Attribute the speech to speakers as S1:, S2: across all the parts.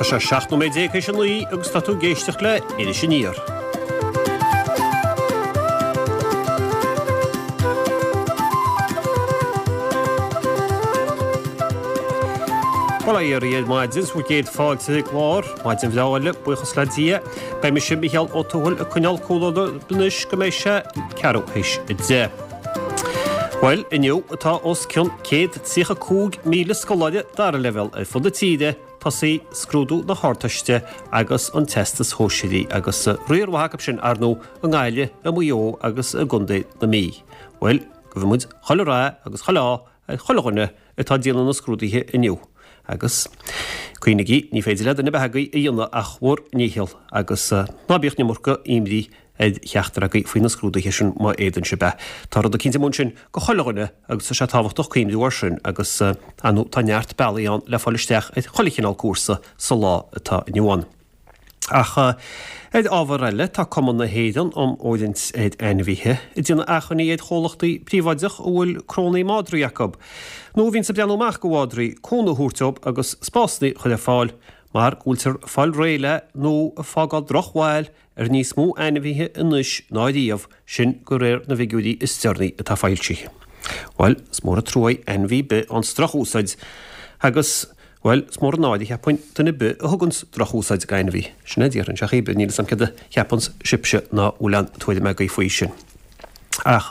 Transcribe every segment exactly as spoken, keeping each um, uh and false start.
S1: sé seacht nóiméad déag théis a naoi agus tá tú ag éisteacht le Iris Aniar. Bail ó Dhia oraibh ar maidin, is bhur gcéad fáilte chuig an gclár, maidin bhreá eile, buíochas le Dia. Beidh mise, Mícheál Ó Tuathail, ag coinneáil comhluadar anois go mbeidh sé ceathrú théis a deich. Bhuel, inniu atá os cionn céad tríocha cúig míle scoláire dara leibhéal ar fud na tíre tosaí scrúdú na hArdteiste agus an Teastas Shóisearaigh agus riar mhaith acu sin, ar ndóigh, i nGaillimh, i Maigh Eo agus i gContae na Mí. Bhuel, guíonn muid chuile rath agus chuile ádh ar chuile dhuine atá ag déanamh na scrúduithe inniu. Agus, cuimhnigí, ní féidir le duine ar bith agaibh a dhéanamh ach bhur ndícheall agus ná bíodh an iomarca imní ar cheachtar agaibh faoi na scrúduithe sin má fhéadann sibh é. Tá rud eicínt amuigh ansin go chuile dhuine agus tá sé tábhachtach cuimhniú air sin agus, ar ndóigh, tá neart bealaí ann le fáil isteach ar chuile chineál cúrsa sa lá atá inniu ann. Ach ar ábhar eile, tá Cumann na hÉireann um Fhóirithint ar Ainmhithe ag déanamh achainí ar chomhlachtaí príobháideach a bhfuil crónaí madraí acu, nó a bhíonns ag breathnú amach go mhadraí, cúnamh a thabhairt dóibh agus spásanna a chur ar fáil mar go bhfuiltear ag fáil réidh le nó ag fágáil drochbhail ar níos mó ainmhithe anois ná riamh, sin de réir na bhfigiúirí is deireanaí atá foilsithe. Bhuel, is mór an trua é ainmhí ar bith a fhaigheanns drochúsáid agus. Bhuel, is mór an náire, cheapfainn, duine ar bith a thuganns drochúsáid d'ainmhí. Sin é a déarfainn, sea, cibé, níl 'fhios a'm céard a cheapanns sibhse ná bhfuil aon tuairim agaibh faoi sin. Ach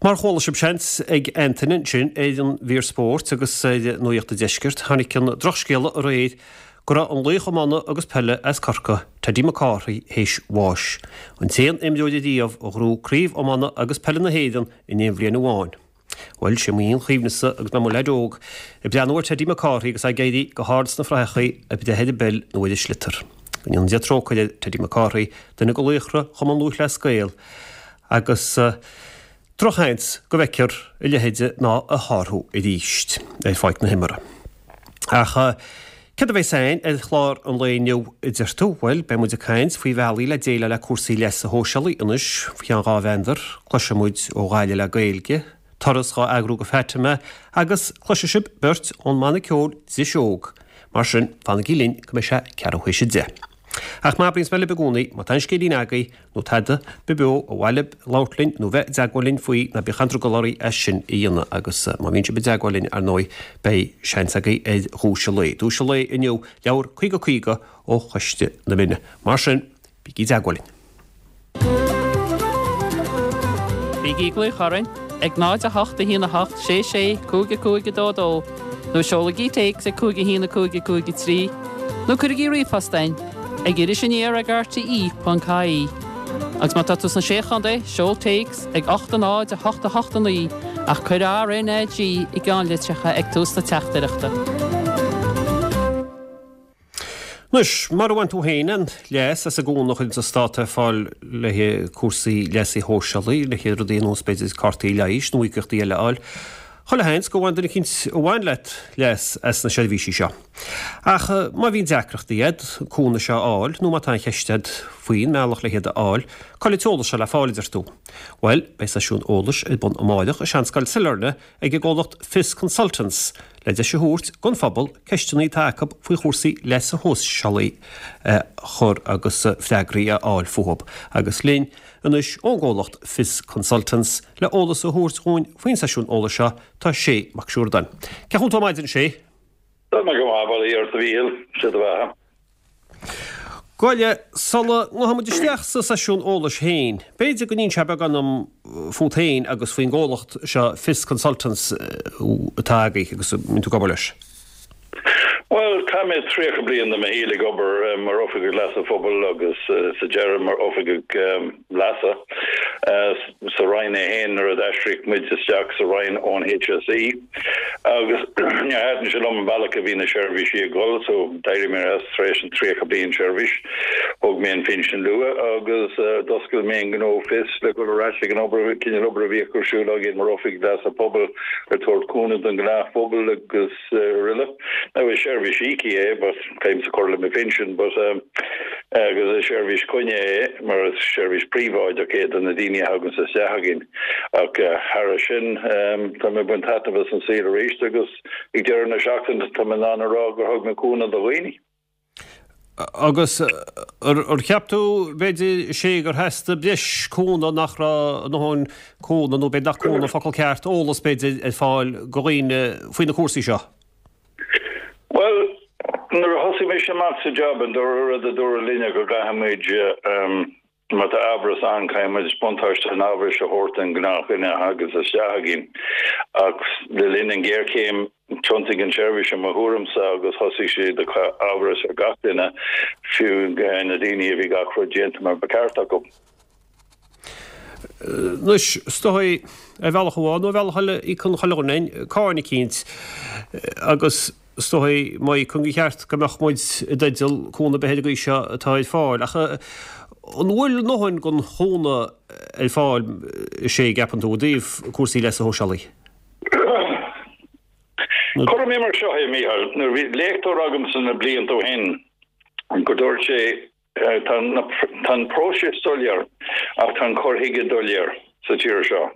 S1: mar a chuala sibh, seans, ag Antaine ansin ar an mhír spóirt agus ar Nuacht an Deiscirt, tháinig an drochscéala aréir go raibh an laoch iomána agus peile as Corcaigh, Teddy McCarthy, théis bháis. An t-aon imreoir ariamh a ghnóthaigh craobh iomána agus peile na hÉireann in aon bhliain amháin. Bhuel, sé m'aon chuimhnese agus mé i mo leaid óg, ag breathnú ar Teddy McCarthy agus é ag éirí go hard sna fraitheachaí ag breith ar an bpeil nó ar an sliotar. Go ndéana Dia trócaire ar Teddy McCarthy, duine de laochra Chumann Lúthchleas Gael, agus drochsheans go bhfeicfear a leithéide ná a shárú arís ar pháirc na himeartha. Ach céard a bheas againn ar chlár an lae inniu, a deir tú? Bhuel, beidh muid ag caint faoi bhealaí le déileáil le cúrsaí leasa shóisialaigh anois faoi cheann dhá mheandar. Cloisfidh muid ó Ghaillimh le Gaeilge, turas dhá eagrú go Fatima agus cloisfidh sibh beirt ón mbanna ceoil Driseog. Mar sin, fanaigí linn go mbeidh sé ceathrú théis a deich. Ach mar a abraíonns mé libh i gcónaí, má tá aon scéilín agaibh nó tada ba bheo ba mhaith libh labhairt linn nó bheith i dteagmháil linn faoi, ná bíodh aon drogall oraibh é sin a dhéanamh agus má bhíonn sibh i dteagmháil linn, ar ndóigh, beidh seans agaibh ar dhuais an lae. Duais an lae inniu, leabhar caoga caoga ó Choiste na Mine. Mar sin, bígí i dteagmháil linn.
S2: Bígí ag glaoch orainn ag náid a hocht a haon a hocht sé sé cúig a cúig a dó dó nó seolaigí téacs ag cúig a haon a cúig a cúig a trí nó cuirigí ríomhphost chugainn ag iris aniar ag R T E ponc I E. Agus má tá tú sna Sé Chontae, seol téacs ag ocht a náid a hocht a hocht a naoi ach cuir R N A G i gceannlitreacha ag tús na teachtaireachta.
S1: Anois, mura bhain tú féin aon leas as an gcúnamh a chuireanns an Stát ar fáil le haghaidh cúrsaí leasa shóisialaigh, le haghaidh rudaí ar nós, b'fhéidir, cártaí leighis nó íocaíochtaí eile a fháil, chuile sheans gur bhain duine eicínt a bhain leat leas as na seirbhísí seo. Ach má bhíonn deacrachtaí agat an cúnamh seo a fháil nó má tá aon cheist agat faoin mbealach le hiad a fháil, cá bhfuil an t-eolas seo le fáil, a deir tú? Bhuel, beidh seisiún eolais ar bun amáireach i Seanscoil Sailearna ag an gcomhlacht Fios Consultants le deis a thabhairt don phobal ceisteanna atá acu faoi chúrsaí leasa shóisialaigh a chur agus freagraí a fháil fúthu. Agus linn anois ón gcomhlacht Fios Consultants le eolas a thabhairt dhúinn faoin seisiún eolais seo tá Sé Mac Siúrdáin. Cén chaoi a bhfuil tú ar maidin, Sé?
S3: Tá mé go maith, bail ó Dhia ort a Mhíchíl, sé do bheatha.
S1: Gabh i leith, sula ngabhfaidh muid isteach sa seisiún eolais féin, b'fhéidir go n-inseofá beagán dom fút féin agus faoin gcomhlacht seo Fios Consultants atá agaibh agus a mbíonn tú ag obair leis.
S3: Bhuel, chaith mé tríocha bliain de mo shaol ag obair mar Oifigeach Leasa Phobail agus sa deireadh mar Oifigeach Leasa sa Roinn é féin nuair a d'aistrigh muid isteach sa Roinn ón H S E agus níor thaitin sé liom an bealach a bhí na seirbhísí ag dul, so d'éirigh mé as tar éis an tríocha bliain seirbhís. Thóg mé an phinsean luath agus d'oscail mé an gnó Fios le dul ar ais ag an obair, cineál obair a bhíodh ar siúl againn mar Oifig Leasa Pobail ag tabhairt cúnamh don ghnáthphobal agus araile. Now is seirbhís íoctha é but caithimse cur le mo phinsean but agus is seirbhís coinne é mar is seirbhís príobháideach é do na daoine a thaganns isteach againn. Ach thar sin tá mé ag baint taitneamh as an saol arís agus ag deireadh na seachtaine tá mé in ann a rá gur thug mé cúnamh do dhaoine.
S1: Agus ar cheap tú b'fhéidir sé gur theastaigh breis cúnamh nach raibh a ndóthain cúnamh nó b'fhéidir nach cúnamh an focal ceart, eolas b'fhéidir ar fáil do dhaoine faoi na cúrsaí seo?
S3: Bhuel, nuair a thosaigh mise amach sa job an dara rud a dúradh linne go gcaithfimid má tá amhras ann caithfimid buntáiste an amhrais a thabhairt don ghnáthdhuine a thagas isteach againn. Ach le linn an ghéarchéim Thiontaigh an tseirbhís i mo thuairimse agus thosaigh siad ag cur amhras ar gach duine, fiú na daoine a bhí gach rud déanta mar ba cheart acu.
S1: Anois, is dóigh, ar bhealach amháin nó ar bhealach eile, íocann chuile dhuine cáin eicínt agus is dóigh má íocann gur cheart go mbeadh muid i dteideal cúnamh ar bith ar an gcaoi seo atá ar fáil. Ach an bhfuil a ndóthain den chúnamh ar fáil, a Shé, an gceapann tú, i dtaobh cúrsaí leasa shóisialaigh?
S3: Cuirfidh mé mar seo é, Mícheál, nuair a bhí léachtóir agamsa na blianta ó shin go dúirt sé tá an próiseas soiléir ach tá an cur chuige doiléir sa tír seo.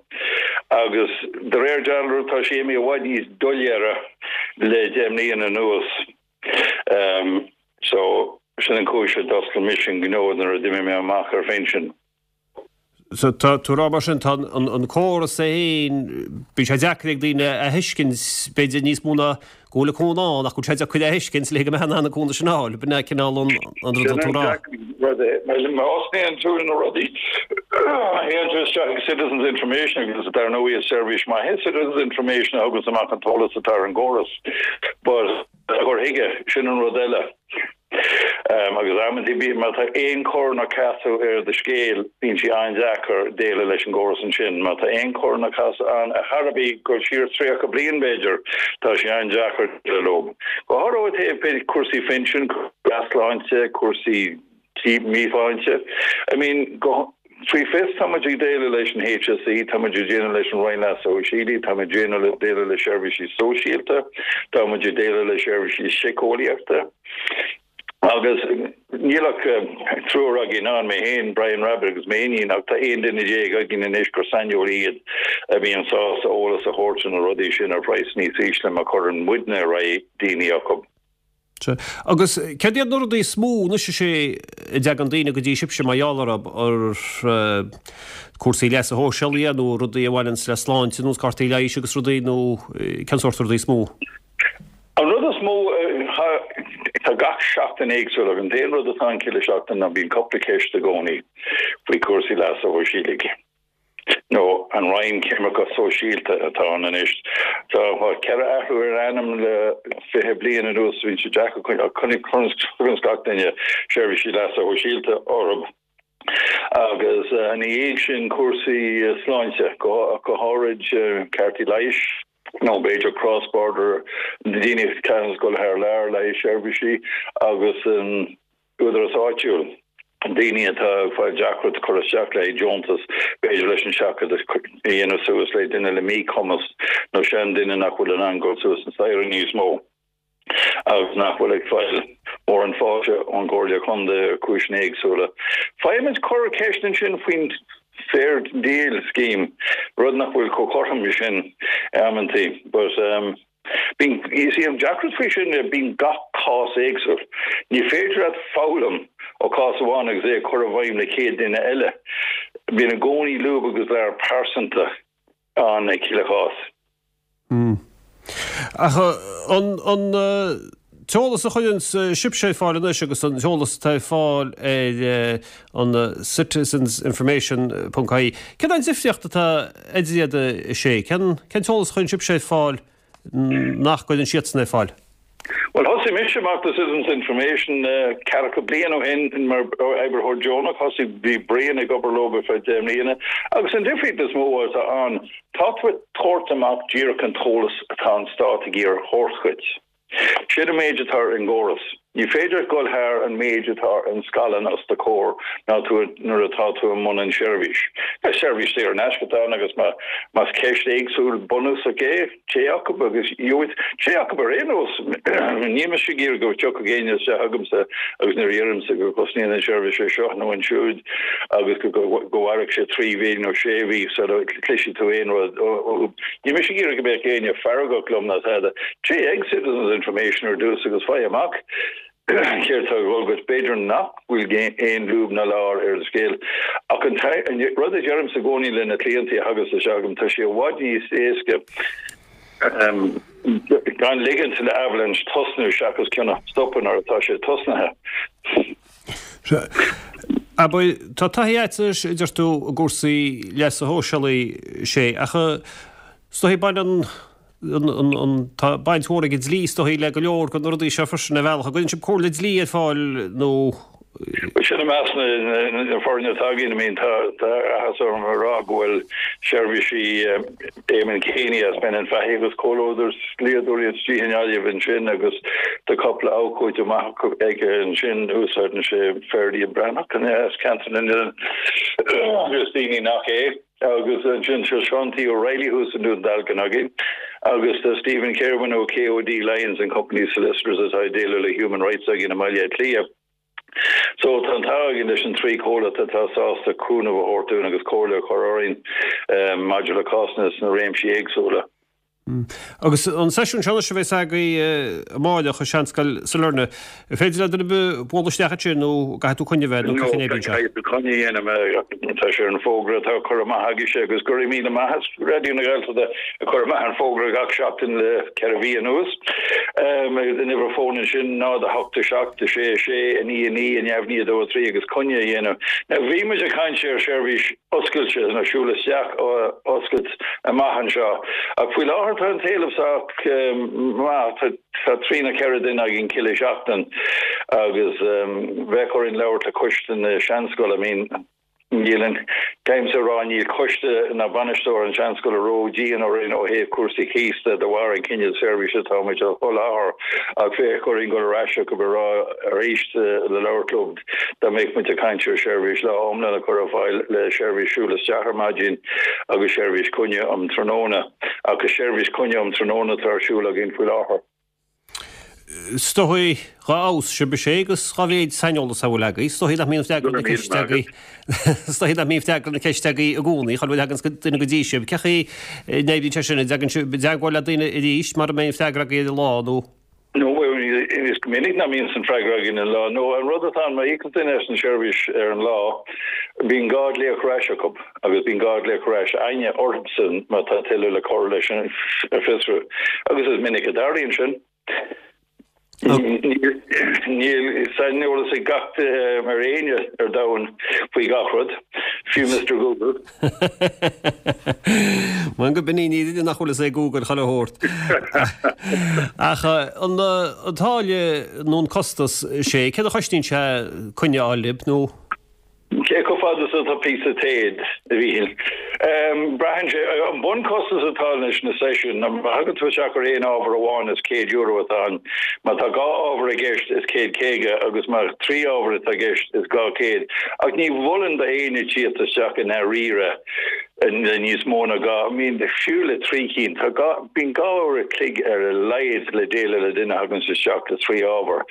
S3: Agus de réir dealraimh tá sé imithe i bhfad níos doiléire le deich mbliana anuas. So sin an chúis a d'oscail mise an gnó nuair a d'imigh mé amach ar phinsean.
S1: So tá tú ag rá mar sin, tá an córas é féin, bíonn sé deacair ag daoine a thuiscint, b'fhéidir níos mó ná go bhfuil an cúnamh ann ach go bhfuil sé deacair a thuiscint le go mbeadh in ann an cúnamh sin a fháil, b'in é cineál an rud atá tú ag rá.
S3: Rud é, má osclaíonn tú na rudaí, théann tú isteach ag Citizens Information agus dar ndóigh is seirbhís maith é Citizens Information a thuganns amach an t-eolas atá ar an gcóras but a chur chuige, sin an rud eile. Agus amantaí bíonn, má tá aon chor ná casadh ar do scéal, bíonn sé an-deacair déileáil leis an gcóras ansin. Má tá aon chor ná casadh ann ar chor ar bith, dul siar tríocha bliain b'fhéidir, tá sé an-deacair déileáil leo. Go háirithe ó thaobh cúrsaí phinsin, cúrsaí sláinte, cúrsaí míshláinte. I mean, go, faoi fios, tá muid ag déileáil leis an HSE, tá muid ag déileáil leis an Roinn Leasa Shóisialaigh, tá muid ag déileáil le seirbhísí sóisialta, tá muid ag déileáil le seirbhísí síceolaíochta. Agus níl ach triúr againn ann, mé féin, Brian Rabbitte agus m'iníon, ach tá aon duine déag againn anois gur saineolaí iad a bhíonn sásta eolas a thabhairt ar na rudaí sin ar phraghas níos ísle má chuireann muidne ar aghaidh daoine acu.
S1: Sea. Agus céard iad na rudaí is mó anois a Shé a dtagann daoine go dtí sibhse mar gheall orthu, ar cúrsaí leasa shóisialaigh nó rudaí a bhaineanns le sláinte nós cártaí leighis agus rudaí nó cén sórt rudaí is mó?
S3: An rud is mó, tá gach seachtain éagsúil ach an t-aon rud atá ann chuile seachtain ná bíonn cúpla ceist i gcónaí faoi chúrsaí leasa shóisialaigh. nó an Roinn Coimirce Sóisialta atá ann anois. Tá ceithre athrú ar an ainm le fiche bliain anuas, bíonn sé deacair coinneáil gach duine seirbhísí leasa shóisialta orthu. Agus ina dhiaidh sin cúrsaí sláinte, go háirid cártaí leighis, nó b'fhéidir cross border, daoine a chaitheann dul thar lear le haghaidh seirbhísí agus an Údarás áitiúil, daoine atá ag fáil deacracht cur isteach le haghaidh deontas, b'fhéidir leis an seachadadh a dhéanamh suas le duine le míchumas nó seanduine nach bhfuil in ann dul suas an staighre níos mó agus nach bhfuil ag fáil mórán fáilte ón gComhairle Contae ar chúiseanna éagsúla. Faighimid corrcheist ansin faoin Fair Deal Scheme, rud nach bhfuil chomh cothrom sin amantaí but. Bíonn, is í an deacracht faoi sin, bíonn gach cás éagsúil. Ní féidir leat foghlaim ó chás amháin agus é a chur i bhfeidhm le céad duine eile. Bíonn i gcónaí lúb agus lear pearsanta ann ag chuile chás.
S1: Ach an an t-eolas a chuireann sibhse ar fáil anois agus an t-eolas atá ar fáil ar an citizensinformation ponc ie, cén an difríocht atá idir iad a Shé? Cén cén t-eolas a chuireann sibhse ar fáil nach gcuireann siadsan ar fáil?
S3: Bhuel, thosaigh mise amach le Citizens Information ceathracha bliain ó shin mar oibritheoir deonach. Thosaigh, bhí Brian ag obair leo ar feadh deich mbliana. Agus an difríocht is mó atá ann, tá tú ag tabhairt amach díreach an t-eolas atá an Stát ag iarraidh a thabhairt dhuit. Sin an méid atá ar an gcóras. Ní féidir dul thar an méid atá ar an scaileán os do chomhair ná tú nuair atá tú i mbun an seirbhís. Is seirbhís saor in aisce atá ann agus más ceist éagsúil bunúsach é, téigh chucu agus gheobhaidh, téigh chucu ar aon nós. Níl mise ag iarraidh go dtiocfadh éinne isteach chugamsa agus nuair a dheirimse go gcosnaíonn an seirbhís é seo nó ansiúd agus go go mairfidh sé trí mhí nó sé mhí sula gcloisfidh tú aon rud uathu. Níl mise ag iarraidh go mbeadh éinne feargach liom ná tada. Téigh ag Citizens Information ar dtús agus faigh amach. céard atá ag dul agat. B'fhéidir nach bhfuil aon lúb ná lár ar an scéal. Ach an rud a deirimse i gcónaí le na cliantaí a thagas isteach agam, tá sé i bhfad níos éasca gan ligint le avalanche tosnú seachas ceann a stopadh nuair atá sé tosnaithe.
S1: Abair, tá taithí agat anois, a deir tú, i gcúrsaí leasa shóisialaigh, sé, ach is dóigh baineann an, tá baint mhór ag an dlí is dóigh le go leor de na rudaí seo freisin ar bhealach. An gcuireann sibh comhairle dlí ar fáil nó?
S3: Bhuel, sin i measc na foirne atá againn. I mean, tá áthas orm a rá go bhfuil seirbhísí Eamon Keaney as Brennan Fahey agus Comhluadar dlíodóirí istigh i nGaillimh ansin agus tá cúpla abhcóide maith aige ansin, úsáideann sé Ferdia Breathnach as Ceantar na nOileán agus daoine nach é. Agus ansin tá Seán T. O'Reilly thuas i nDún Dealgan againn agus tá Stephen Kirwan ó KOD Lyons and Company Solicitors atá ag déileáil le Human Rights againn i mBaile Átha Cliath. So tá an t-ádh againn leis an trí chomhlacht atá sásta cúnamh a thabhairt dúinn agus comhairle a chur orainn maidir le cásanna sna réimsí éagsúla.
S1: Agus an seisiún seo anois a bheas agaibh amáireach i Seanscoil Sailearna, an féidir le duine ar bith bualadh isteach ansin nó caithfidh tú coinne a bheith nó cén chaoi a n-oibríonn sé?
S3: Caithfidh tú coinne a dhéanamh, tá sé ar an bhfógra atá curtha amach agaibhse agus go raibh míle maith as Raidió na Gaeltachta ag cur amach an fógra gach seachtain le ceithre mhí anuas. Agus an uimhir fóin ansin náid a hocht a seacht a sé a sé a naoi a naoi a neamh naoi a dó a trí agus coinne a dhéanamh. Now bhí muid ag caint ar sheirbhís oscailte nó siúl isteach a oscailt amach anseo. Ach faoi láthair tá an t-éileamh sách maith, tá trí nó ceithre duine againn chuile sheachtain agus bheadh orainn labhairt le coiste na seanscoile. I mean, níl an, caithfimse a rá, níl coiste ná bainisteoir an seanscoile ró-dhian orainn ó thaobh cúrsaí cíos de, de bharr an cineál seirbhíse atá muid a sholáthar ach bheadh orainn dul ar ais chucu a rá arís le labhairt leo. Dá mbeadh muid ag caint ar sheirbhís lá iomlán a chur ar fáil le seirbhís siúl isteach ar maidin agus seirbhís coinne um tráthnóna, ach is seirbhís coinne um tráthnóna atá ar siúl againn faoi láthair.
S1: Is dóigh dhá fheabhas sibh is é agus dhá mhéid saineolas a bhfuil agaibh, is dóigh nach mbíonn freagra na ceiste agaibh, is dóigh nach mbíonn freagra na ceiste agaibh i gcónaí, chuile uair a thagann duine go dtí sibh. Cén chaoi a n-oibríonn sé sin, an dtagann sibh i dteagmháil le daoine arís mara mbeidh an freagra agaibh ar an lá nó?
S3: Nó is go minic nach mbíonn an freagra againn an lá. Nó an rud atá ann, má íocann duine as an seirbhís ar an lá, bíonn dhá ghlaoch ar ais acu agus bíonn dhá ghlaoch ar ais againne orthusan má tá tuilleadh le cur leis an bhfiosrú. Agus is minic a dtarlaíonn sin. Níl saineolas ag gach ar éinne ar domhan faoi gach rud, fiú Mister Google.
S1: Mar go b'in í, ní duine nach bhfuil fhios ag Google chuile shórt. Ach an táille nó an costas, sé, céard a chosnaíonn sé coinne a fháil libh nó?
S3: Cé chomh fada is atá píosa téad, a Mhíchíl? Braitheann sé. An bunchostas atá leis na seisiúin, má thagann tú isteach ar aon ábhar amháin is céad euro atá ann. Má tá dhá ábhar i gceist is céad caoga agus má trí ábhar atá i gceist is dhá chéad. Ach ní mholfainn d'éinne tíocht isteach i ndáiríre le níos mó ná dhá, I mean fiú le trí cinn. Tá dhá, bíonn dhá uair a chloig ar a laghad le déileáil le duine a thaganns isteach le trí ábhar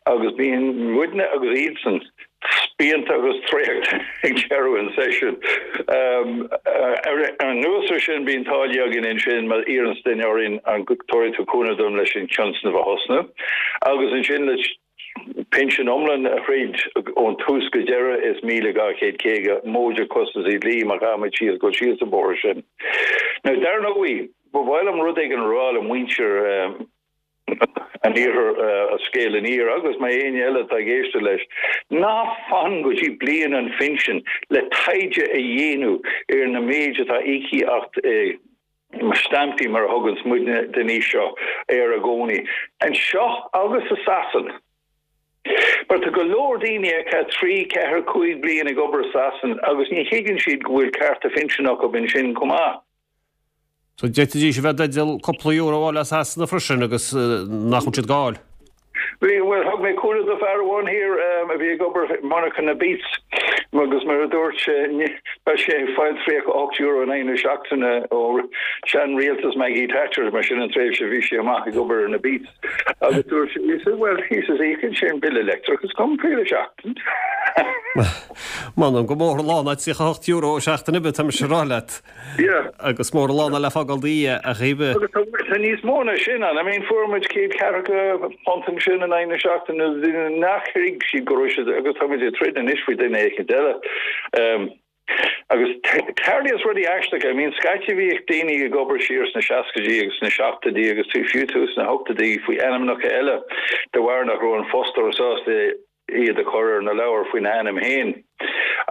S3: agus bíonn muidne agus iadsan spíonta agus traochta ag deireadh an tseisiúin. Anuas ar sin, bíonn táillí againn ansin má iarranns duine orainn an dtabharfaidh tú cúnamh dom leis an tionscnamh a thosnú agus ansin le pinsean iomlán a throid ón tús go deireadh is míle dhá chéad caoga móide costasaí dlí má chaithfimid síos dul síos an bóthar sin. Now dar ndóigh, ba mhaith liom rud éigin a rá le muintir an iarthair an Scéal Aniar agus má éinne eile atá ag éisteacht leis, ná fan go dtí bliain an phinsin le taighde a dhéanamh ar na méid atá íoctha agat i stampaí mar a thuganns muidne den aois seo air i gcónaí, anseo agus i Sasain. Mar tá go leor daoine a chaith trí, ceathair, cúig bliain ag obair i Sasain agus ní thuigeann siad go bhfuil cearta phinsin acu ansin chomh maith.
S1: So d'fhéadfaidís a bheith i dteideal cúpla euro a fháil as Sasana freisin agus nach bhfuil siad ag fáil.
S3: Bhí, bhuel, thug mé cúnamh do fear amháin thiar a bhí ag obair i monarcha na Beats agus mar a dúirt sé, bheadh sé ag fáil tríocha ocht euro in aghaidh na seachtaine ó sean-rialtas Maggie Thatcher, mar sin an tréimhse a bhí sé amach ag obair ar na Beats. Agus dúirt sé, he said, well, he says, íocann sé an bille leictreachais chugam chuile sheachtain.
S1: M'anam gur mór an lá ná tríocha hocht euro seachtain oibre, tá mise ag rá leat.
S3: Yeah.
S1: Agus mór an lá ná le fágáil di a chéibhe.
S3: Agus tá tá níos mó ná sin ann. I mean fuair muid céad ceathracha punt ansin in aghaidh na seachtaine daoine nach thuig siad go raibh siad agus tá muid ag troid anois faoi duine éicint eile. Um, agus tarlaíonn rudaí aisteacha, I mean scaití bhíodh daoine ag obair siar sna seascaidí agus sna seachtóidí agus tú fiú tús na hochtóidí faoi ainmneacha eile de bharr nach raibh an fostóir sásta iad a chur ar na leabhair faoina ainm féin.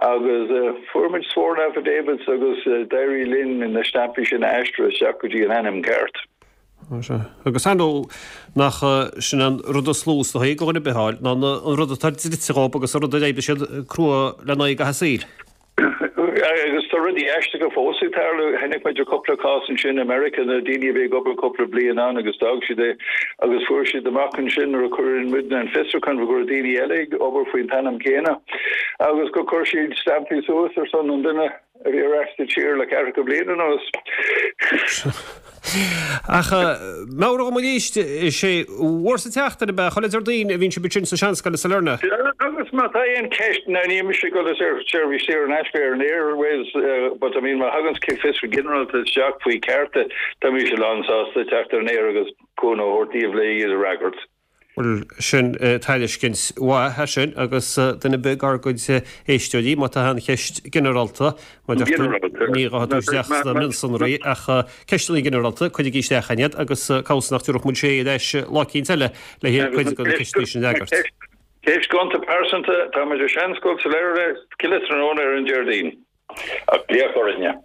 S3: Agus fuair muid sworn affidavits agus d'éirigh linn na stampaí sin a aistriú isteach go dtí an ainm ceart.
S1: Agus ar ndóigh nach sin an rud is lú is dóichí go dhuine ar bith a fháil ná an rud atá dlite dhóibh agus an rud a d'oibrigh siad crua lena aghaidh a saoil.
S3: Agus tá rudaí aisteacha fós ag tarlú. Tháinig muid ar cúpla cás ansin i Meiriceá na daoine a bhí ag obair cúpla bliain ann agus d'fhág siad é agus fuair siad amach ansin nuair a chuir muidne an fiosrúchán go raibh daoine eile ag obair faoin t-ainm céanna agus gur chuir siad stampaí suas ar son an duine a bhí ar ais sa tír le ceathracha bliain anuas.
S1: Ach meabhraigh dom arís, is é uair sa tseachtain ab ea, chuile Déardaoin a bhíonn sibh ansin sa Seanscoil i Sailearna.
S3: Agus má tá aon cheist, now níl mise ag dul ar seirbhís saor in aisce ar an airwaves, but I mean má thagann fiosrú ginearálta isteach faoi chearta, tá mise lánsásta teacht ar an aer agus cúnamh a thabhairt daoibh le iad a fhreagairt.
S1: Bhuel, sin tairiscint mhaith, é sin, agus duine ar bith dár gcuid éisteoirí, má tá aon cheist ginearálta, mar a deir tú, ní gá dul isteach sna mionsonraí ach ceisteanna ginearálta, cuirigí isteach chugainn iad agus cá bhfios nach dtabharfadh muid sé ar ais lá eicínt eile le cuid de na ceisteanna sin a fhreagairt.
S3: Ceist gonta pearsanta, tá muid ar Seanscoil Sailearna, chuile tráthnóna ar an Déardaoin. Ach glaoch orainne.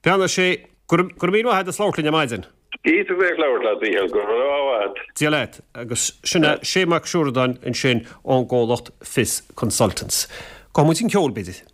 S1: Beannacht Dé, go raibh míle maith agat as labhairt linn ar maidin.
S3: Iontach bheith ag labhairt leat, Mhícheál. Go raibh maith agat.
S1: Dia leat. Agus sin é Sé Mac Siúradáin ansin ón gcomhlacht Fios Consultants. Gabhfaidh muid an ceol, b'fhéidir.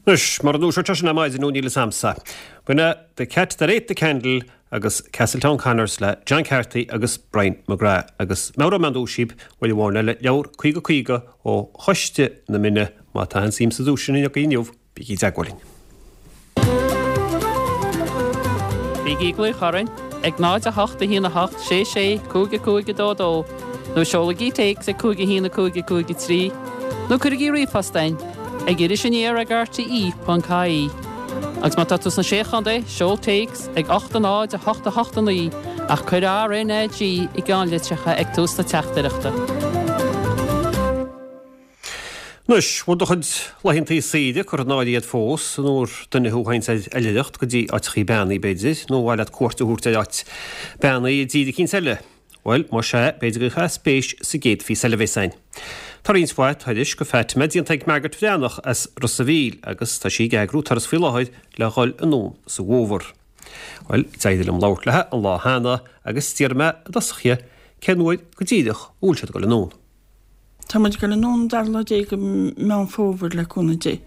S1: Anois, mar an dúiseacht sin ar maidin nó níl a fhios a'msa. B'in é The Cat That Ate the Candle agus Castletown Connors le John Carthy agus Brian McGrath agus meabhróidh mé an duais daoibh uair amháin eile leabhar caoga caoga ó Choiste na Mine má tá aon suim sa duais sin inniu, bígí i dteagmháil linn.
S2: Bígí ag glaoch orainn ag náid a hocht a haon a hocht sé sé cúig a cúig a dó dó nó seolaigí téacs ag cúig a haon a cúig a cúig a trí nó cuirigí ríomhphost chugainn ag Iris Aniar ag R T E ponc I E. Agus má tá tú sna Sé Chontae, seol téacs ag ocht a náid a hocht a hocht a naoi ach cuir R N A G i gceannlitreacha ag tús na teachtaireachta.
S1: Anois, bhfuil do chuid laethantaí saoire curtha in áirithe agat fós, nó ar duine thú a théanns ar oilithreacht go dtí áiteachaí beannaithe, b'fhéidir, nó ar mhaith leat cuairt a thabhairt ar áit beannaithe i dtír eicínt eile? Bhuel, más ea, b'fhéidir go gcuirfeá spéis sa gcéad phíosa eile a bheas againn. Tá roinnt mhaith turais go Fatima déanta ag Margaret Bhreathnach as Ros a' Mhíl agus tá sí ag eagrú turas faoi láthair le dhul anonn sa bhfómhar. Bhuel, d'éirigh liom labhairt léi an lá cheana agus d'iarr mé i dtosach dhi cén uair go díreach a bhfuil siad ag dul anonn.
S4: Tá muid ag dul anonn an dara lá déag de Meán Fómhair le cúnamh Dé,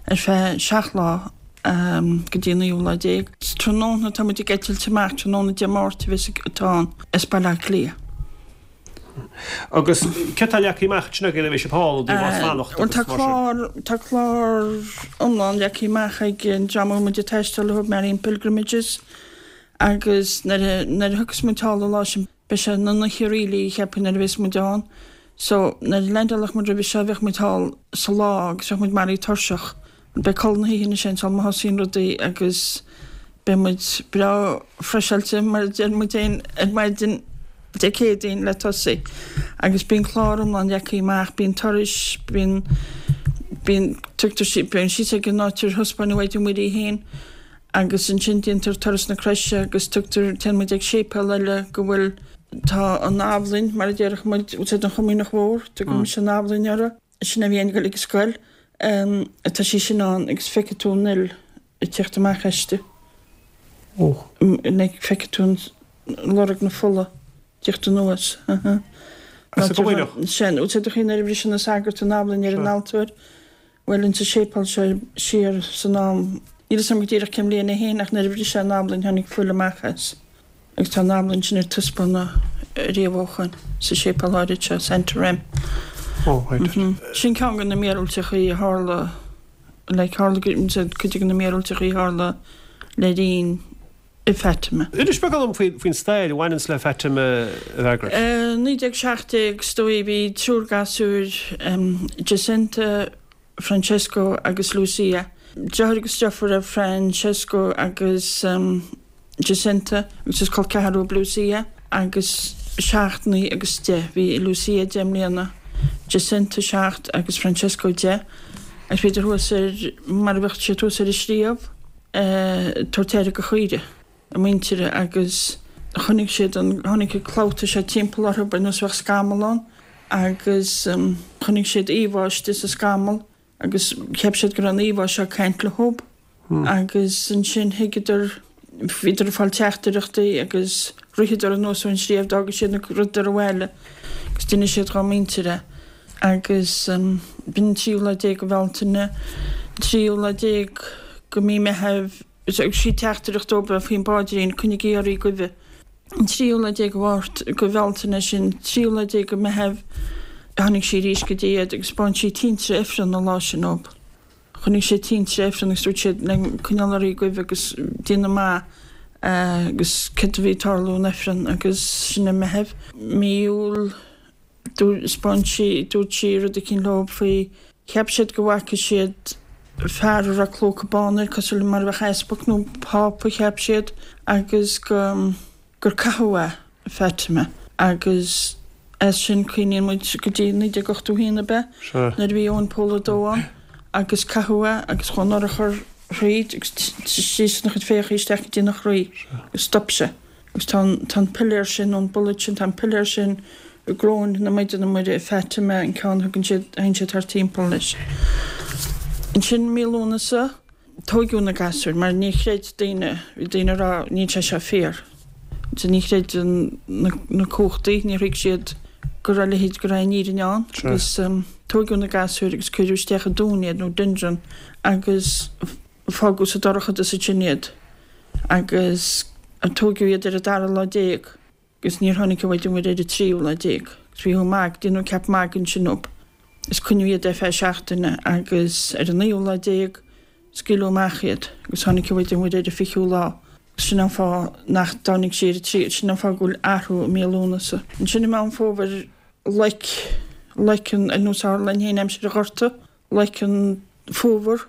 S4: ar feadh seacht lá go dtí an naoú lá déag. Tráthnóna tá muid ag eitilt amach tráthnóna Dé Máirt a bheas atá ann as Baile Átha Cliath.
S1: Agus céard atá leagtha amach ansin agaibh le bheith sibh thall i dtaobh áit fanacht
S4: Bhuel tá
S1: agus mar sin?
S4: clár tá clár iomlán leagtha amach ag an dream a bhfuil muid ag taisteal leo, Marian Pilgrimages, agus nuair a nuair a thiocfas muid thall an lá sin beidh sé ina n-oíche really cheapfainn nuair a bheas muid ann. So nuair a leaindeálfadh muid roimhe seo bheadh muid thall sa lá agus bheadh muid maraithe tuirseach. Beidh codladh na hoíche ansin sul má thosaíonn rudaí agus beidh muid breá freiseáilte mar a deir muid féin ar maidin Dé Céadaoin le tosaí. Agus bíonn clár iomlán leagtha amach, bíonn turais, bíonn bíonn tugtar sí bíonn síos ag an áit ar thaispeánadh Maighdean Mhuire í féin agus ansin déantar turas na croise agus tugtar téann muid ag séipéal eile go bhfuil tá an abhainn mar a déarfadh muid úsáid an Chomaoineach Mhór, tugann mise an abhainn uirthi. Sin a bhí ag dul ag scoil. Tá sí sin ann agus feicfidh tú an fhuil ag teacht amach aisti. Like feicfidh tú an lorg na fola ag teacht anuas.
S1: As an gComaoineach?
S4: Sin, úsáid do chuimhne nuair a bhris na sagairt an abhainn ar an altóir. Bhuel insa séipéal seo siar san am, níl a fhios agam go díreach cén bhliain é féin ach nuair a bhris sé an abhainn tháinig fuil amach as. Agus tá an abhainn sin ar taispeánadh riamh ó shoin sa séipéal áirid seo, Santarém.
S1: Oh, right.
S4: Sin ceann de na míorúilteachaí a tharla, like, tharla cuid de na míorúilteachaí a tharla le linn i Fatima.
S1: Inis beagán dom faoin stair a bhaineanns le Fatima, a Mhargaret.
S4: Naoi déag seacht déag, is dóigh, bhí triúr gasúir, Jacinta, Francesco agus Lucia. Deartháir agus deirfiúr é Francesco agus Jacinta agus is col ceathrar dóibh Lucia agus seacht, naoi agus deich. Bhí Lucia deich mbliana, Jacinta seacht agus Francesco deich agus bhíodar thuas ar, mar a bheadh siad thuas ar an sliabh, ag tabhairt aire do chaoire a muintire agus chonaic siad an, tháinig an clabhta seo timpeall orthu ar nós a bheadh scamall ann agus chonaic siad íomhá istigh sa scamall agus cheap siad go raibh an íomhá seo ag caint leo agus ansin thuigeadar, bhíodar ag fáil teachtaireachtaí agus ritheadar anuas ón sliabh, d'fhága siad na rudaí abhaile agus d'inis siad dhá muintir é agus b'in an tríú lá déag de Bhealtaine, an tríú lá déag de mí Meitheamh, thug sí teachtaireacht dóibh faoin bpaidrín, coinnigí oraibh goimhe. An tríú lá déag de Mháirt, de Bhealtaine sin, tríú lá déag de Meitheamh, tháinig sí arís go dtí iad agus 'spáin sí tinte Ifrinn an lá sin dóibh. Chonaic siad tinte Ifrinn agus dúirt siad le coinneáil oraibh goimhe agus déanamh maith agus céard a bhí ag tarlú in Ifreann agus sin i Meitheamh. Mí Iúil 'spáin sí, dúirt sí rud eicínt leo faoi, cheap siad go bhfaca siad fear a raibh clóca bán air cosúil le mar a bheadh easpag nó pápa cheap siad agus go gur caitheadh é i Fatima agus as sin cuimhníonn muid go dtí naoi déag ochtó haon ab ea nuair a bhí Eoin Pól a dó ann agus caitheadh é agus chuaigh an urchar thríd agus síos ina chuid féitheachaí isteach go dtí ina chroí agus stop sé. Agus tá an, tá an piléar sin, nó an bullet sin, tá an piléar sin i gcoróin na Maighdine Muire i Fatima, an ceann a thugann siad, a théann siad thart timpeall leis. Ansin mí Lúnasa, tóigeadh na gasúir, mar ní chreid daoine, bhí daoine ag rá, níl sé seo fíor. Ansin ní chreid an, na, na cumhachtaí, níor thuig siad go raibh a leithéid go raibh an fhírinne ann agus tóigeadh na gasúir agus cuireadh isteach i dtóin iad nó dungeon agus fágadh sa dorchadas ansin iad agus tóigeadh iad ar an dara lá déag agus níor tháinig an Mhaighdean Mhuire ar an tríú lá déag agus bhí magaidh, déanadh ceap magaidh ansin dóibh is coinníodh iad ar feadh seachtaine agus ar an naoú lá déag scaoileadh amach iad agus tháinig an Mhaighdean Mhuire ar an fichiú lá. Sin an fáth nach dtáinig sí ar an tríú, sin an fáth go bhfuil athrú i mí Lúnasa. Ansin i Meán Fómhair loic, loic an, ar nós a tharla linn féin aimsir an Ghorta, loic an fómhar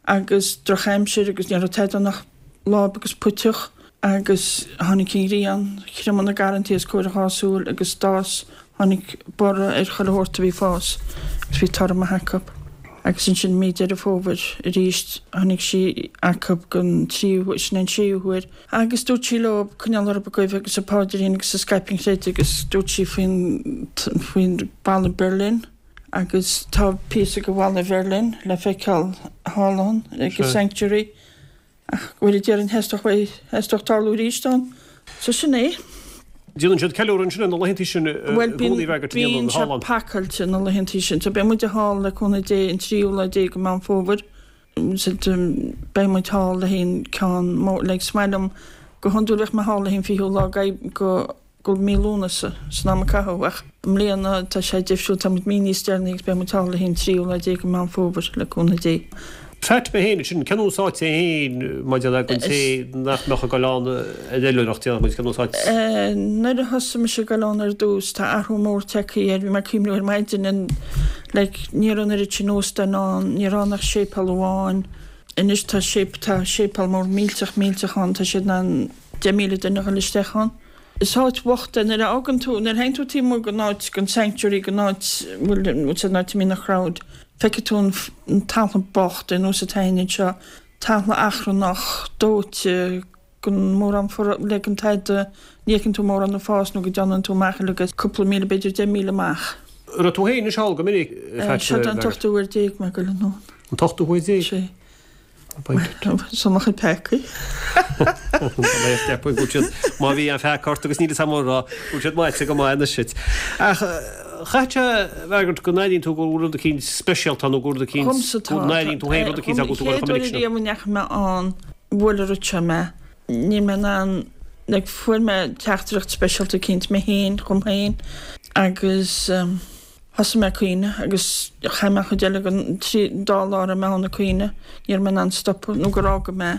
S4: agus drochaimsir agus ní raibh tada ann ach láib agus puiteach agus tháinig an ghrian, thriomaigh na garrantaí os comhair a dhá súil agus d'fhás, tháinig borradh ar chuile shórt a bhí ag fás agus bhí toradh maith acu. Agus ansin mí Deireadh Fómhair arís tháinig sí acu don tríú, sin an séú huair. Agus dúirt sí leo coinneáil orthu ag guí agus an paidrín agus ag scaipeadh an chreidimh agus dúirt sí faoin, faoin balla Berlin agus tá píosa de bhalla Bherlin le feiceáil thall ann ag an Sanctuary. Ach go bhfuil déarfainn theastódh uaidh, theastódh tarlú arís ann. So sin é.
S1: Déanann siad ceiliúradh ansin ar na laethantaí sin i
S4: Bhuel, bíonn,
S1: gcónaí bheag ar
S4: bíonn sé pacáilte na laethantaí sin. So beidh muid thall le cúnamh Dé an tríú lá déag de Mheán Fómhair. So beidh muid thall le haghaidh an ceann mór, like is maith liom go hiondúil bheadh mé thall le haghaidh an fichiú lá go go mí Lúnasa san am a caitheadh ach i mbliana tá sé difriúil, tá muid mí níos deireanaí agus beidh muid thall le haghaidh an tríú lá déag de Mheán Fómhair le cúnamh Dé.
S1: Fatima féin, sin cén áit é féin maidir le don té nach mbeadh ag dul ann ar oilithreacht déanadh muid cén áit.
S4: Nuair a thosaigh mise ag dul ann ar dtús tá athrú mór tagtha air, bhí mé ag cuimhniú ar maidin an like ní raibh an oiread sin óstán ann, ní raibh ann ach séipéal amháin, anois tá séip tá séipéal mór millteach millteach ann, tá siad in ann deich míle duine a dhul isteach ann. Is áit bhocht é nuair a fhágann tú, nuair a théann tú taobh amuigh den áit, den sanctuary, den áit, bhfuil, bhfuil an áit a mbíonn an crowd, feicfidh tú an, an talamh bocht ar nós atá againn anseo, talamh achrannach, dóite, gan mórán for, le gan tada, ní fheiceann tú mórán ag fás nó go dteannann tú amach uilig as cúpla míle, b'fhéidir deich míle amach.
S1: An raibh tú féin anois thall go minic,
S4: Fatima? Seo an t-ochtú huair déag mé ag goil anonn.
S1: An t-ochtú huair déag?
S4: Sé. Seo mo chuid peacaí.
S1: Má bhí an pheaca ort agus níl fhios agam an raibh, bhfuil siad maite go maith anois duit. Ach chaithfeadh sé a fhreagairt go n-airíonn tú go bhfuil rud eicínt speisialta ann nó go bhfuil rud eicínt,
S4: Dhomsa
S1: go
S4: tá.
S1: n-airíonn tú féin rud eicínt
S4: An
S1: go bhfuil tú
S4: chéad uair ariamh a ndeachaigh mé ann, bhuail an rud seo mé. Níl mé in ann, like, fuair mé teachtaireacht speisialta eicínt mé féin, dhom féin agus, Thosaigh mé ag caoineadh agus chaith mé an chuid eile den trí dá lá a raibh mé ann ag caoineadh. Ní raibh mé in ann stopadh nó gur fhága mé.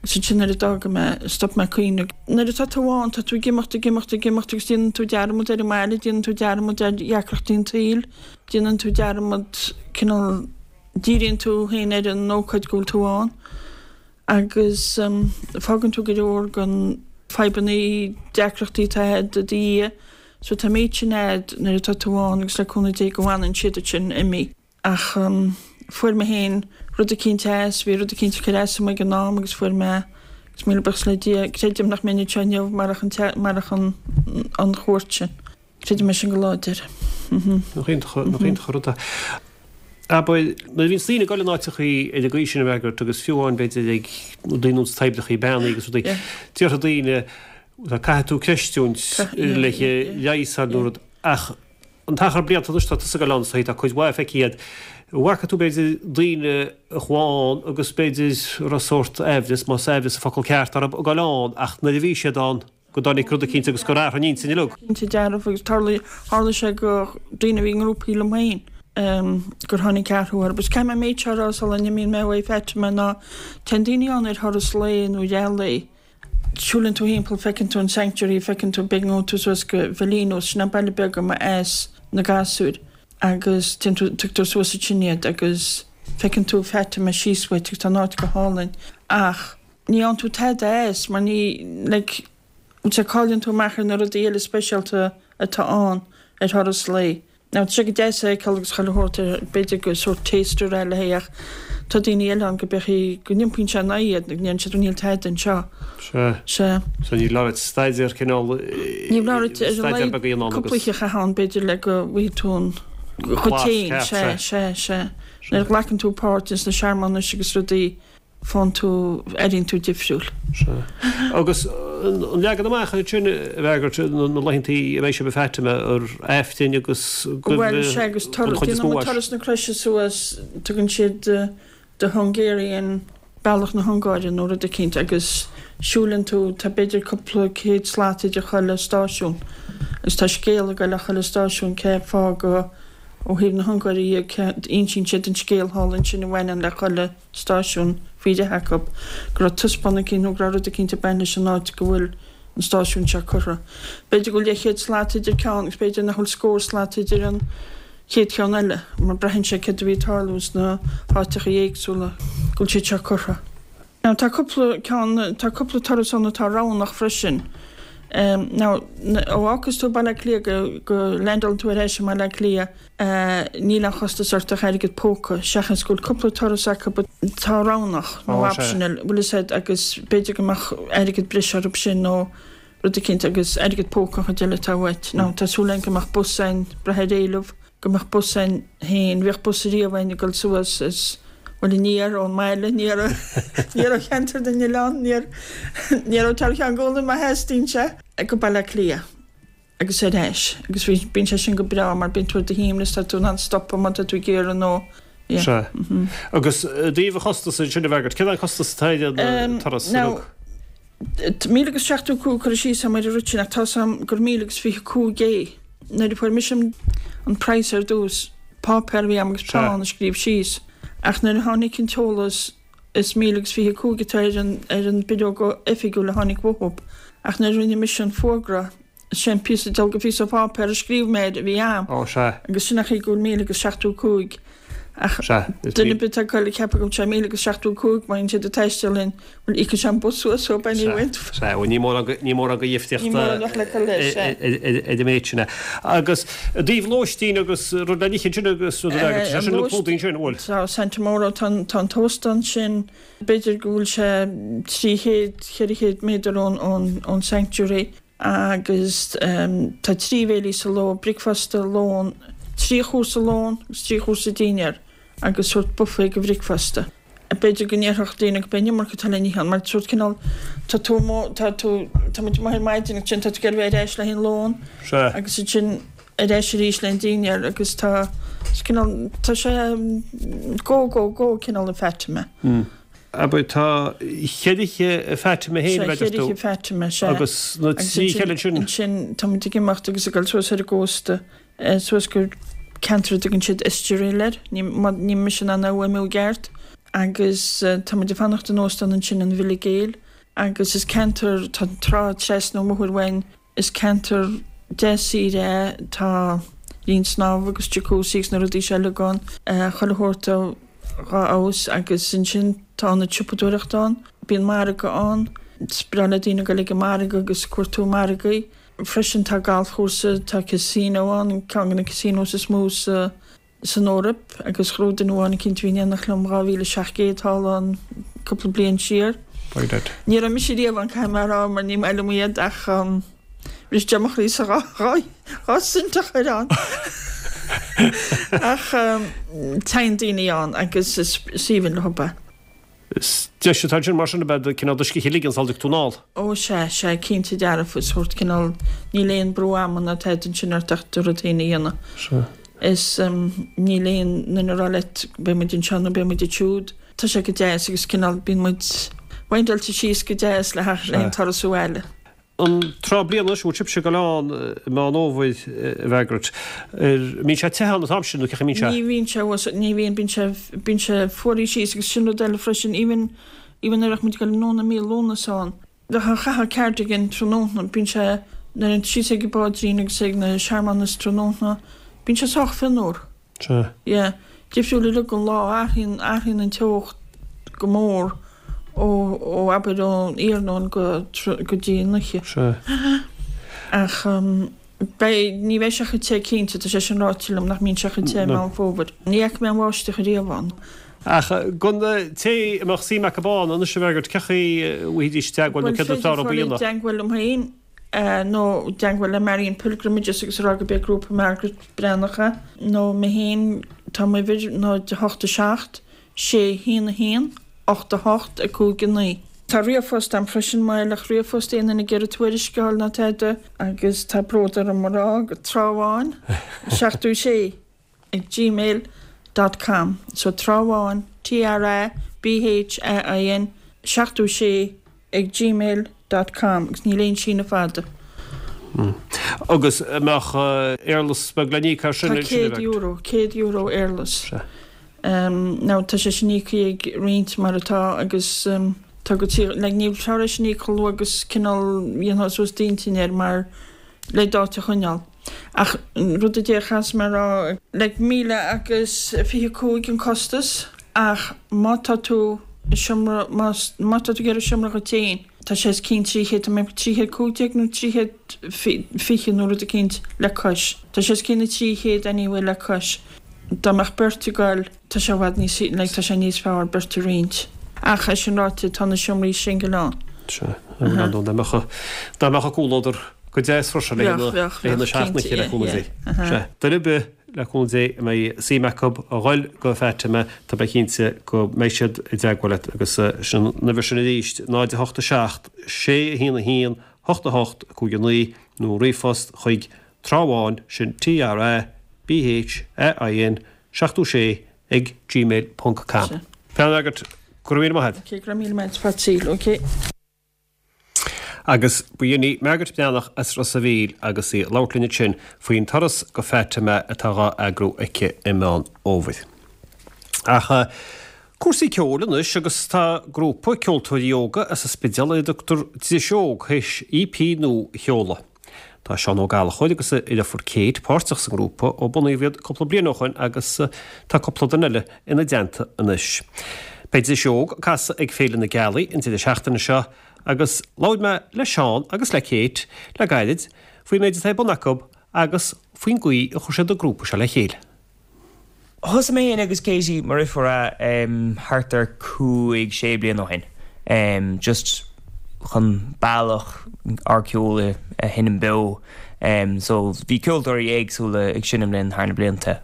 S4: Agus ansin nuair a d'fhága mé, stop mé ag caoineadh. Nuair atá tú ann, tá tú ag imeacht, ag imeacht, ag imeacht agus déanann tú dearmad ar an mbaile, déanann tú dearmad ar dheacrachtaí an tsaoil, déanann tú dearmad, cineál, díríonn tú féin ar an ócáid go bhfuil tú ann. Agus fágann tú go leor den fadhbanna, deacrachtaí atá agat i do dhiaidh. So tá an méid sin a'd nuair atá tú ann agus le cúnamh Dé go bhfanann siad ansin imithe. Ach fuair mé féin rud eicínt as, bhí rud eicínt ag cur as dom ag an am agus fuair mé, agus míle buíochas le Dia, creidim nach mbeinn anseo inniu marach an, marach an, an chuairt sin. Creidim é sin go láidir.
S1: Nach iontach, nach iontach an rud é. Abair, nuair a bhíonns daoine ag dul in áiteachaí ar an gcaoi sin a fhreagairt agus fiú amháin b'fhéidir ag daoine ins toibreachaí beannaí agus rudaí, déarfaidh daoine, caithfidh tú creistiúint le leigheas nó rud ach an t-achar blianta anois tá tusa ag dul ann so tá cuid mhaith feicthe agat. An bhfaca tú b'fhéidir daoine a chuaigh ann agus b'fhéidir raibh sórt aimhreas, más aimhreas an focal ceart orthu, ag dul ann ach nuair a bhí siad ann go dtáinig rud eicínt agus gur athraigh a n-intinn uilig.
S4: Cinnte dearfa agus tharla, tharla sé go daoine a bhí i ngrúpaí liom féin gur tháinig athrú orthu. Agus caithfidh mé an méid seo a rá sula n-imíonn mé uaidh Fatima ná téann daoine ann ar thuras lae nó leath lae. Siúlann tú thimpeall, feiceann tú an sanctuary, feiceann tú, b'fhéidir go ngabhann tú suas go Valinhos, sin an baile beag a mbeas na gasúir agus téann tú, tugtar suas ansin iad agus feiceann tú Fatima síos uait agus tá an áit go hálainn ach ní fhaigheann tú tada as mar ní, like, sea, cailleann tú amach ar na rudaí eile speisialta atá ann ar thuras lae. Now tá sé go deas é a fheiceáil agus chuile shórt ar, b'fhéidir gur sórt taster eile é ach tá daoine eile ann go beidh, go n-iompaíonn sé in aghaidh iad, go ndeireann siad níl tada anseo.
S1: Sea.
S4: Sea.
S1: So ní leor staidéar cineál,
S4: Ní leor ar a
S1: staidéar
S4: laghad
S1: beag a dhéanamh ann
S4: cúpla
S1: agus.
S4: oíche a chaitheamh ann b'fhéidir le go bhfaighidh tú an dhuit
S1: Blas
S4: féin.
S1: ceart,
S4: Sea,
S1: sea.
S4: sea, sea. Nuair a ghlacann tú páirt ins na searmanais agus rudaí, faigheann tú, airíonn tú difriúil.
S1: Sea. Agus An leagan amach ansin a Mhargaret na laethantaí a mbeidh sibh i Fatima ar Aifreann agus
S4: Bhuel sea agus déanann turas na croise suas tugann siad the Hungarian bealach na hUngáire nó rud eicínt agus siúlann tú tá b'fhéidir cúpla céad slat idir chuile stáisiún agus tá scéal ag goil le chuile stáisiún cé fáth go ó thaobh na hUngáire dhe cé insíonn siad an scéal thall ansin a bhaineann le chuile stáisiún faoi leith acu go raibh taispeántas eicínt nó go raibh rud eicínt ag baint leis an áit go bhfuil an stáisiún seo curtha. B'fhéidir go bhfuil leathchéad slat idir ceann agus b'fhéidir nach bhfuil scór slat idir an chéad cheann eile, mar braitheann sé céard a bhí ag tarlú sna háiteacha éagsúla go bhfuil siad seo curtha. Now tá cúpla ceann, tá cúpla turas ann atá roghnach freisin. Now ó fhágas tú Baile Átha Cliath go, go landálann tú ar ais i mBaile Átha Cliath, níl aon chostas ort ach airgead póca, seachas go bhfuil cúpla turas acu atá roghnach nó optional, bhfuil fhios a'd, agus b'fhéidir go mbeadh airgead breise orthu sin nó rud eicínt agus airgead póca an chuid eile atá uait. Now tá súil againn go mbeadh bus a'inn, brath ar éileamh, go mbeadh bus a'inn féin, bhíodh bus ariamh a'inn ag dul suas is, bhuel aniar ón mbaile, aniar, aniar ó cheantar na nOileán, aniar, aniar ó Teach Cheann Gólaim má theastaíonn sé, go Baile Átha Cliath agus ar ais agus bhí, bíonn sé sin go breá mar bíonn tú ar do shuaimhneas, tá tú in ann stopadh má tá tú ag iarraidh nó, yeah.
S1: Sea. Agus i dtaobh an chostais ansin a Mhargaret, cén costas atá ar an turas
S4: Now, míle agus seachtó cúig curtha síos a'm ar an rud sin ach tá 'fhios a'm gur míle agus fiche cúig é. Nuair a fuair mise an praghas ar dtús, páipéar a bhí a'm agus peann a scríobh síos ach nuair a tháinig an t-eolas is míle agus fiche cúig atá ar an ar an bileog oifigiúil a tháinig uathu ach nuair a rinne mise an fuagra is é an píosa dealg phíosa páipéir a scríobh mé air a bhí a'm
S1: Ó sea.
S4: agus sin an chaoi go bhfuil míle agus seachtó cúig ach
S1: Sea, is
S4: duine ar bith atá ag goil ag ceapadh go bhfuil sé míle agus seachtó cúig má bhíonn siad ag taisteal linn bhuel íocfaidh sé an bus suas so anyway.
S1: Sea, bhuel ní mórán go ní mórán go dhifríocht
S4: Ní mórán ach le cur leis, sea.
S1: ar an méid sin é. Agus i dtaobh lóistín agus rud le n-ithe ansin agus rud eile, tá sé sin le clúdaigh ansin, an bhfuil?
S4: Tá Santa Mauro, tá an tá an t-óstán sin, b'fhéidir go bhfuil sé trí chéad, ceithre chéad méadar ón ón ón sanctuary. Agus tá trí bhéilí sa ló, bricfeasta, lón, trí chúrsa lón agus trí chúrsa dinnéar agus sórt buffet go bhricfeasta. B'fhéidir go ndéarfadh daoine go b'é an iomarca atá le n-ithe ann mar sórt cineál tá tú amuigh, tá tú, tá muid amuigh ar maidin agus ansin tá tú ag iarraidh bheith ar ais le haghaidh an lón
S1: Sea.
S4: agus ansin ar ais arís le haghaidh an dinnéar agus tá, cineál, tá sé go, go, go cineál i Fatima.
S1: Abair, tá cheithre oíche i Fatima féin,
S4: Sea,
S1: a deir
S4: cheithre
S1: tú.
S4: oíche Fatima, sea.
S1: Agus na
S4: Agus
S1: trí
S4: ansin,
S1: cheile ansin.
S4: ansin tá muid ag imeacht agus ag dul suas ar an gcósta, suas go ceantar a dtugann siad Estoril air, ní, má, níl mise in ann é a fhuaimniú i gceart, agus tá muid ag fanacht in óstán ansin, an Villa Gale, agus is ceantar, tá an trá trasna an bhóthair uainn, Is ceantar deas saoire é, tá linn snámha agus jacuzzi agus na rudaí seo uilig ann, chuile shórt dá fheabhas agus ansin tá ionad siopadóireachta ann, bíonn margadh ann, is breá le daoine dul ag an margadh agus cuartú margaí. Freisin tá galfchúrsa, tá casino ann, ceann de na casinos is mó sa. san Eoraip agus ghnóthaigh duine amháin eicínt a bhí in éineacht liom dhá mhíle seacht gcéad thall ann cúpla bliain siar. Ní raibh mise riamh ann caithfidh mé a rá mar ní maith liom iad ach bhris sé mo chroí sa dhá dhá dhá cent a chur ann ach téann daoine ann agus is aoibhinn leo é.
S1: Is deis atá ansin mar sin ab ea cineál do scíth a ligean sula dtig tú anall.
S4: Ó sea, sea, cinnte dearfa, is sórt cineál, níl aon brú ama ná tada ansin ort ach do rud féin a dhéanamh.
S1: Sea.
S4: Is níl aon duine ag rá leat beidh muid anseo nó beidh muid ansiúd. Tá sé go deas agus cineál bíonn muid windáilte síos go deas le haghaidh an turas abhaile.
S1: An tráth bliana anois, bhfuil sibhse ag dul ann i Meán Fhómhair, a Mhargaret, ar, mbíonn sé te ann an t-am sin nó cén chaoi a mbíonn sé?
S4: Ní bhíonn sé, bhuel, ní bhíonn, bíonn sé, bíonn sé fuaraithe síos agus sin rud eile freisin, even, even nuair a bheadh muid ag dul anonn i mí Lúnasa ann, bheadh, chaithfeá cardigan tráthnóna, bíonn sé, nuair a théann tú síos ag an bPaidrín agus ag na searmanais tráthnóna, bíonn sé sách fionnuar.
S1: Sea.
S4: Yeah. Difriúil uilig an lá, athraíonn, athraíonn an teocht go mór ó, ó abair ón iarnóin go, go dtí an oíche.
S1: Sea.
S4: Ach beidh, ní bheidh sé chomh te cinnte, tá sé sin ráite liom nach mbíonn sé chomh te i Meán Fómhair. Ní fhaca mé an bháisteach ariamh ann.
S1: Ach don té a mbeadh suim acu ann anois a Mhargaret, cén chaoi a bhfaighidís teagmháil nó
S4: Bhuel,
S1: céard
S4: féidir
S1: is fearr a
S4: fáil i
S1: dhéanamh?
S4: dteagmháil liom féin. nó i dteagmháil le Marian Pilgrimages agus a rá gurb é grúpa Margaret Breathnach é, nó mé féin, tá m'uimhir, náid a hocht a seacht, sé, haon a haon, ocht a hocht, a cúig a naoi. Tá ríomhphost agam freisin má le ríomhphost aon duine ag iarraidh tuairisc a fháil ná tada agus tá bród orm a rá go Trá Bháin seachtó sé ag gmail dot com so Trá Bháin T R A B H A I N seachtó sé ag gmail dot com agus níl aon síneadh fada.
S1: Agus an mbeadh éarlais beag le n-íoc as sin?
S4: Tá céad euro, céad euro éarlais. Now tá sé sin íoctha ag roinnt mar atá agus tá go tí, like níl tar éis sin íoc chomh luath agus cineál dhéanfá suas d'intinn air mar le d'áit a choinneáil. Ach rud a déarfas mé a rá, like míle agus fiche cúig an costas ach má tá tú i seomra, más, má tá tú ag iarraidh seomra dhuit féin, tá sé os cionn trí chéad, tá mé trí chéad cúig déag nó trí chéad fiche nó rud eicínt le cois. Tá sé os cionn na trí chéad anyway le cois. Dá mbeadh beirt ag goil, tá sé i bhfad níos, like tá sé níos fearr beirt a roinnt. Ach é sin ráite, tá na seomraí singil ann.
S1: Sea, dá mbeadh, dá mbeadh a comhluadar go deas freisin le
S4: Bheadh, bheadh,
S1: haghaidh na
S4: bheadh,
S1: seachtaine
S4: cinnte,
S1: le
S4: yeah,
S1: cúnamh
S4: yeah,
S1: Dé.
S4: aha.
S1: Sea, duine ar bith le cúnamh Dé a mbeidh suim acu a ghoil go Fatima, tá mé cinnte go mbeidh siad i dteagmháil leat agus sin an uimhir sin arís, náid a hocht a seacht, sé a haon a haon, hocht a hocht, cúig a naoi, nó ríomhphost chuig Trá Bháin, sin T R A B H A I N seachtó sé ag gmail ponc com.
S4: Sea.
S1: Bean Margaret, go raibh míle maith agat.
S4: Ok, go raibh míle maith agat, fad saoil, ok.
S1: Agus ba shin í Margaret Breathnach as Ros a' Mhíl agus í ag labhairt linn ansin faoin turas go Fatima atá dhá eagrú aici i Meán Fhómhair. Ach cúrsaí ceoil anois agus tá grúpa ceoltóirí óga as an Spidéal a dtugtar Dris Óg théis E P nua a sheoladh. Tá Seán Ó Gallchóir agus a dheirfiúr Kate páirteach sa ngrúpa ó bunaíodh iad cúpla bliain ó shin agus tá cúpla duine eile ina dteannta anois. Beidh Dris Óg ag casadh ag Féile na Gealaí an deireadh seachtaine seo agus labhair mé le Seán agus le Kate le gairid faoin méid atá ar bun acu agus faoin gcaoi a chuir siad an grúpa seo le chéile.
S5: Thosaigh mé féin agus Katie mar dheirfiúr thart ar cúig sé bliain ó shin. Just chun bealach ár ceol a sheinm beo. So bhí ceoltóirí éagsúla ag seinm linn thar na blianta.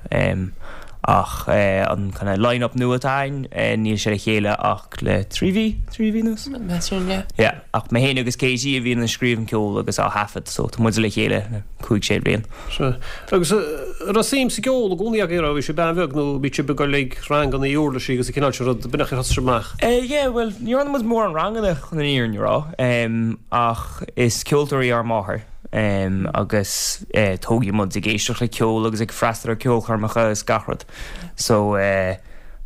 S5: Ach an kind of line-up nua atá againn, níl sé le chéile ach le trí mhí, trí mhí anuas?
S6: Measaim, yeah.
S5: Yeah, ach mé féin agus Katie a bhíonn ag scríobh an ceol agus á thaifead, so tá muid le chéile le cúig sé bliain.
S1: Sea. Agus raibh suim sa gceol i gcónaí agaibh, raibh bhí sibh an-bheag nó bhí sibh ag dul ag ranganna uirlisí agus an cineál sin rud, b'in é ar thosaigh sibh amach?
S5: Eh, yeah, bhuel, ní raibh muid mórán ranganna chun an fhírinne a rá, ach is ceoltóir í ár máthair. Agus tógadh muid ag éisteacht le ceol agus ag freastal ar ceolchoirmeacha is gach rud. So you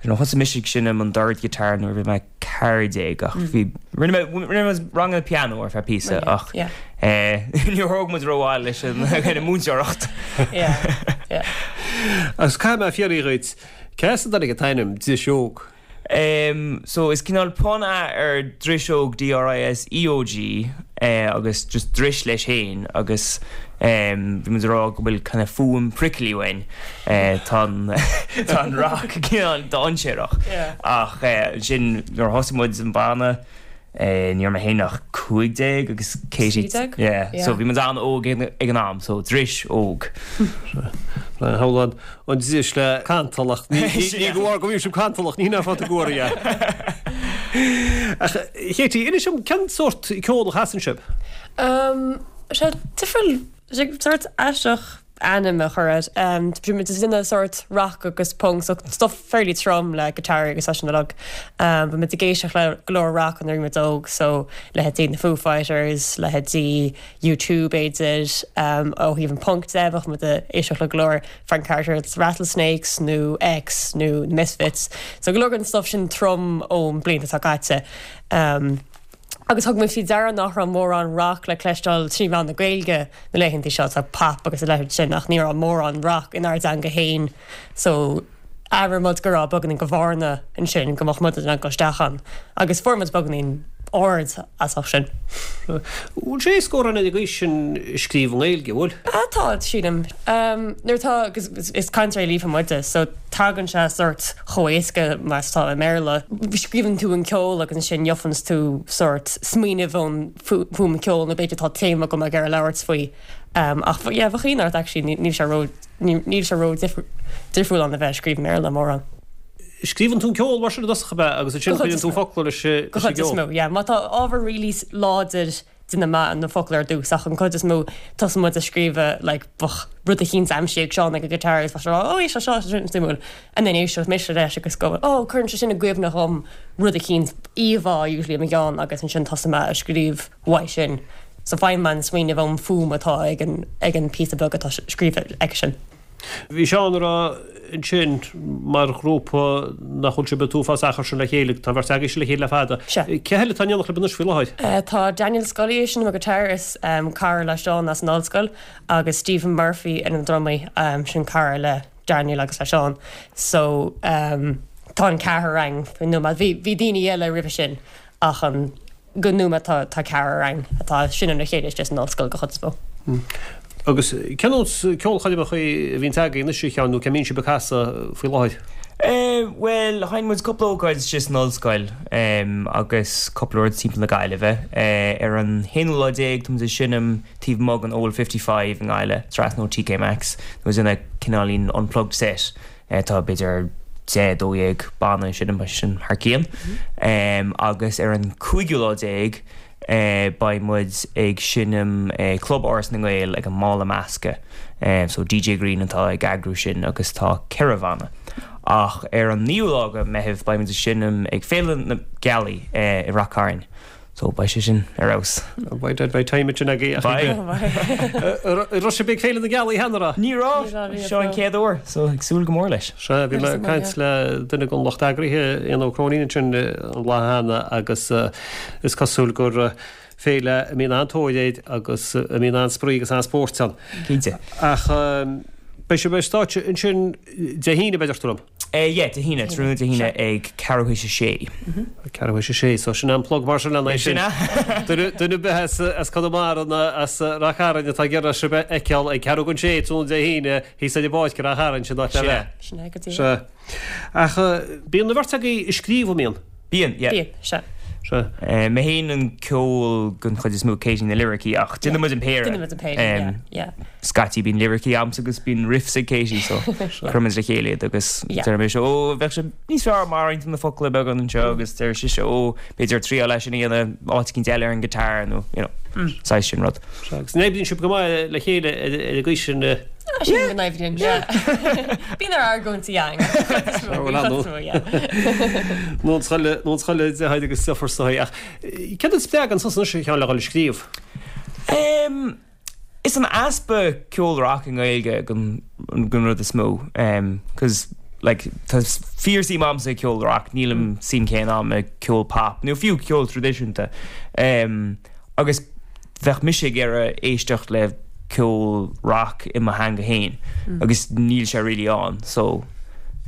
S5: know, thosaigh mise ag seinm an dord guitar nuair a bhí mé ceathair déag ach bhí rinne mé rinne mé ranganna piano ar feadh píosa ach níor thóg muid rómhaith leis an an múinteoireacht.
S1: Agus caithfidh mé a fhiafraí dhuit, cé as a dtáinig an t-ainm Dris Óg?
S5: Um, so is cineál pun é ar Driseog D R I S E O G eh, agus just dris leis féin agus um, bhí muid ag rá go bhfuil kind of fuaim prickly uainn eh, tá an tá an rock cineál dainséarach.
S6: Yeah.
S5: Ach eh, sin nuair a thosaigh muid an banna eh, ní raibh mé féin ach cúig déag agus Katie
S6: Trí déag?
S5: Yeah,
S6: Yeah.
S5: so bhí muid an-óg ag ag an am, so dris óg.
S1: Shamhlóinn an dris le cantalach ní ní go bhar go bhí sibh cantalach ní ná fáta goir é. Ach Katie, inis dom cén sórt ceol a chasann sibh?
S6: Um, sé difriúil sé sort aisteach ainm a chur air. Um, Tá muid ag sort rock agus punk, so stuff fairly trom le guitar agus sin uilig. Um, Bhí muid ag éisteacht le go leor rock nuair a bhí muid óg, so leithéidí na Foo Fighters, leithéidí U two b'fhéidir, um, ó thaobh an punk de, bheadh muid ag éisteacht le go leor Frank Carter's Rattlesnakes nó X nó Misfits. So go leor den stuff sin trom ón blianta atá caite. Um, Agus thug muid faoi deara nach raibh mórán rock le cloisteáil trí mheán na Gaeilge na laethanta seo tá pop agus a leithéid sin ach ní raibh mórán rock inár dteanga féin. So abair muid go raibh beagáinín de bhearna ansin go mbeadh muid in ann dul isteach ann. Agus fuair muid beagáinín ard as sin.
S1: Bhfuil sé scór an ag sin scríobh i nGaeilge, bhfuil?
S6: Ah, tá sílim. Um, nuair tá agus is, is cainteoirí líofa muide, so tagann sé sort chomh éasca mar atá i mBéarla. Scríobhann tú an ceol agus ansin gheobhann tú sort smaoineamh ón fuaim ceol nó b'fhéidir tá téama go ag ar labhairt faoi. Um, ach yeah, bheadh ort actually níl sé ró níl sé ró difriúil an a bheith scríobh i mBéarla mórán.
S1: Scríobhann tú an ceol mar sin i dtosach ab ea agus ansin cuireann tú focla leis an
S6: Go chuid is
S1: gceol?
S6: mó, yeah. Má tá ábhar really láidir déanfaidh mé na focla ar dtús ach an chuid is mó tosaíonn muid ag scríobh like bheadh rud eicínt aimsithe ag Seán ag an guitar agus bheadh sé oh éist seo seo sin suimiúil and then éisteoidh mise leis agus go oh cuireann sé sin i gcuimhne dhom rud eicínt íomhá usually i mo cheann agus ansin tosaíonn mé ag scríobh uaidh sin. So faigheann mé an smaoineamh ón fuaim atá ag an ag an píosa beag atá scríofa aigesean.
S1: Bhí Seán ag rá ansin mar ghrúpa nach bhfuil sibh an t-uafás achar sin le chéile, tá an bheirt agaibhse le chéile le fada.
S6: Sea.
S1: Cé eile atá in éineacht libh anois faoi láthair?
S6: Tá Daniel Scully ag seinm an guitar, is cara le Seán as an ollscoil, agus Stephen Murphy ar an drumaí, sin cara le Daniel agus le Seán. So tá an ceathrar againn faoin nóiméad. Bhí bhí daoine eile roimhe sin ach an go nóiméad tá tá ceathrar againn atá ag seinm le chéile istigh san ollscoil go chuid is mó.
S1: Agus cén nós ceolchoirmeacha a bhíonn agaibh anois, a Sheáin, nó cé mbíonn sibh ag casadh faoi láthair?
S5: Bhuel, sheinn muid cúpla ócáid istigh san ollscoil agus cúpla rud timpeall na Gaillimhe. Ar an haonú lá déag tá muid ag seinm taobh amuigh den Old Fifty Five i nGaillimh, trasna ó TK Maxx. Tá muid ag déanamh cineáilín unplugged set. Tá b'fhéidir deich, dó dhéag banna ag seinm, beidh sin thar cionn. Agus ar an cúigiú lá déag, Beidh muid ag seinm Club Áras na nGael ag an mBála Measctha. So DJ Green atá ag eagrú sin agus tá ceithre bhanna. Ach ar an naoú lá de Meitheamh beidh muid ag seinm ag Féile na Gealaí i Rath Cairn. So beidh sé sin ar fheabhas.
S1: Beidh dead beidh time ansin agaibh.
S5: Beidh.
S1: An raibh sibh ag Féile na Gealaí cheana, an raibh?
S5: Ní raibh. Seo an chéad uair so ag súil go mór leis.
S1: Sea, bhí mé ag caint le duine den lucht eagraithe, Éanna Ó Cróinín ansin an lá cheana agus is cosúil gur féile a mbíonn an-tóir air agus a mbíonn an-spraoi agus an-spórt ann.
S5: Cinnte.
S1: Ach beidh sibh ar stáitse ansin Dé hAoine, deirtear liom?
S5: Yeah, Dé hAoine, tráthnóna Dé hAoine ag ceathrú théis a sé.
S1: Ceathrú théis a sé, so sin an plug mar sin lena aghaidh sin. Duine duine ar bith as as Conamara nó as Rath Cairn atá ag iarraidh sibh a fheiceáil ag ceathrú don sé tráthnóna Dé hAoine thíos ar an bpáirc i Rath Chairn, sin áit le bheith.
S6: Sin é go díreach.
S1: Sea. Ach bíonn an bheirt agaibh ag scríobh, an mbíonn?
S5: Bíonn, yeah.
S6: Bíonn, sea.
S1: Sea.
S5: Mé féin an ceol den chuid is mó, Katie na liricí ach déanann muid an péire.
S6: Déanann muid an péire, yeah, yeah.
S5: Scaití bíonn liricí a'msa agus bíonn riffs ag Katie so cuireann muid le chéile iad agus deir mise ó bheadh sé níos fearr má roinntear na focla beagán anseo agus deir sise ó b'fhéidir triail é sin a dhéanamh áit eicínt eile ar an guitar nó you know saghas sin rud.
S1: Sea, agus an oibríonn sibh go maith le chéile ar an gcaoi sin?
S6: Sílim go n-oibríonn, yeah. Bíonn ár argóintí againn.
S1: Nó an scoile, nó an scoile deartháir agus deirfiúr sa ach céard a spreagann tusa anois a Sheáin le dhul ag scríobh?
S5: Em, is an easpa ceol rac i nGaeilge den den rud is mó. Em, 'cause like tá fíor-suim a'msa i gceol rac, níl an suim céanna a'm i gceol pop nó fiú ceol traidisiúnta. Em, agus bheadh mise ag iarraidh éisteacht le ceol rac i mo theanga féin agus níl sé really ann so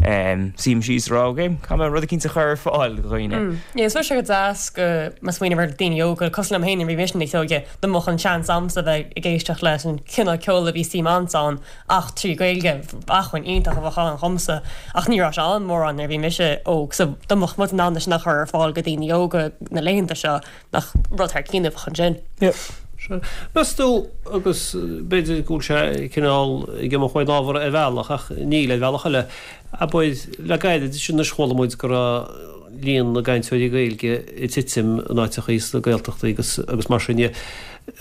S5: suím síos a rá ok caithfidh mé rud eicínt a chur ar fáil do dhaoine.
S6: Yeah is sé go deas go má smaoiním ar daoine óga cosúil liom féin nuair a bhí mise níos óige dá mbeadh an seans a'msa bheith ag éisteacht leis an chineál ceoil a bhí suim a'msa ann ach trí Ghaeilge acmhainn iontach a bheadh ann dhomsa ach ní raibh sé ann mórán nuair a bhí mise óg so dá mbeadh muid in ann é sin a chur ar fáil go daoine óga na laethanta seo nach rud thar cionn a bheadh ansin.
S5: Yeah.
S1: Meas tú, agus b'fhéidir go bhfuil sé cineál ag imeacht ón ábhar ar bhealach, ach níl, ar bhealach eile, abair, le gairid anois chuala muid go raibh líon na gcainteoirí Gaeilge ag titim in áiteachaí sna Gaeltachtaí agus agus mar sin de.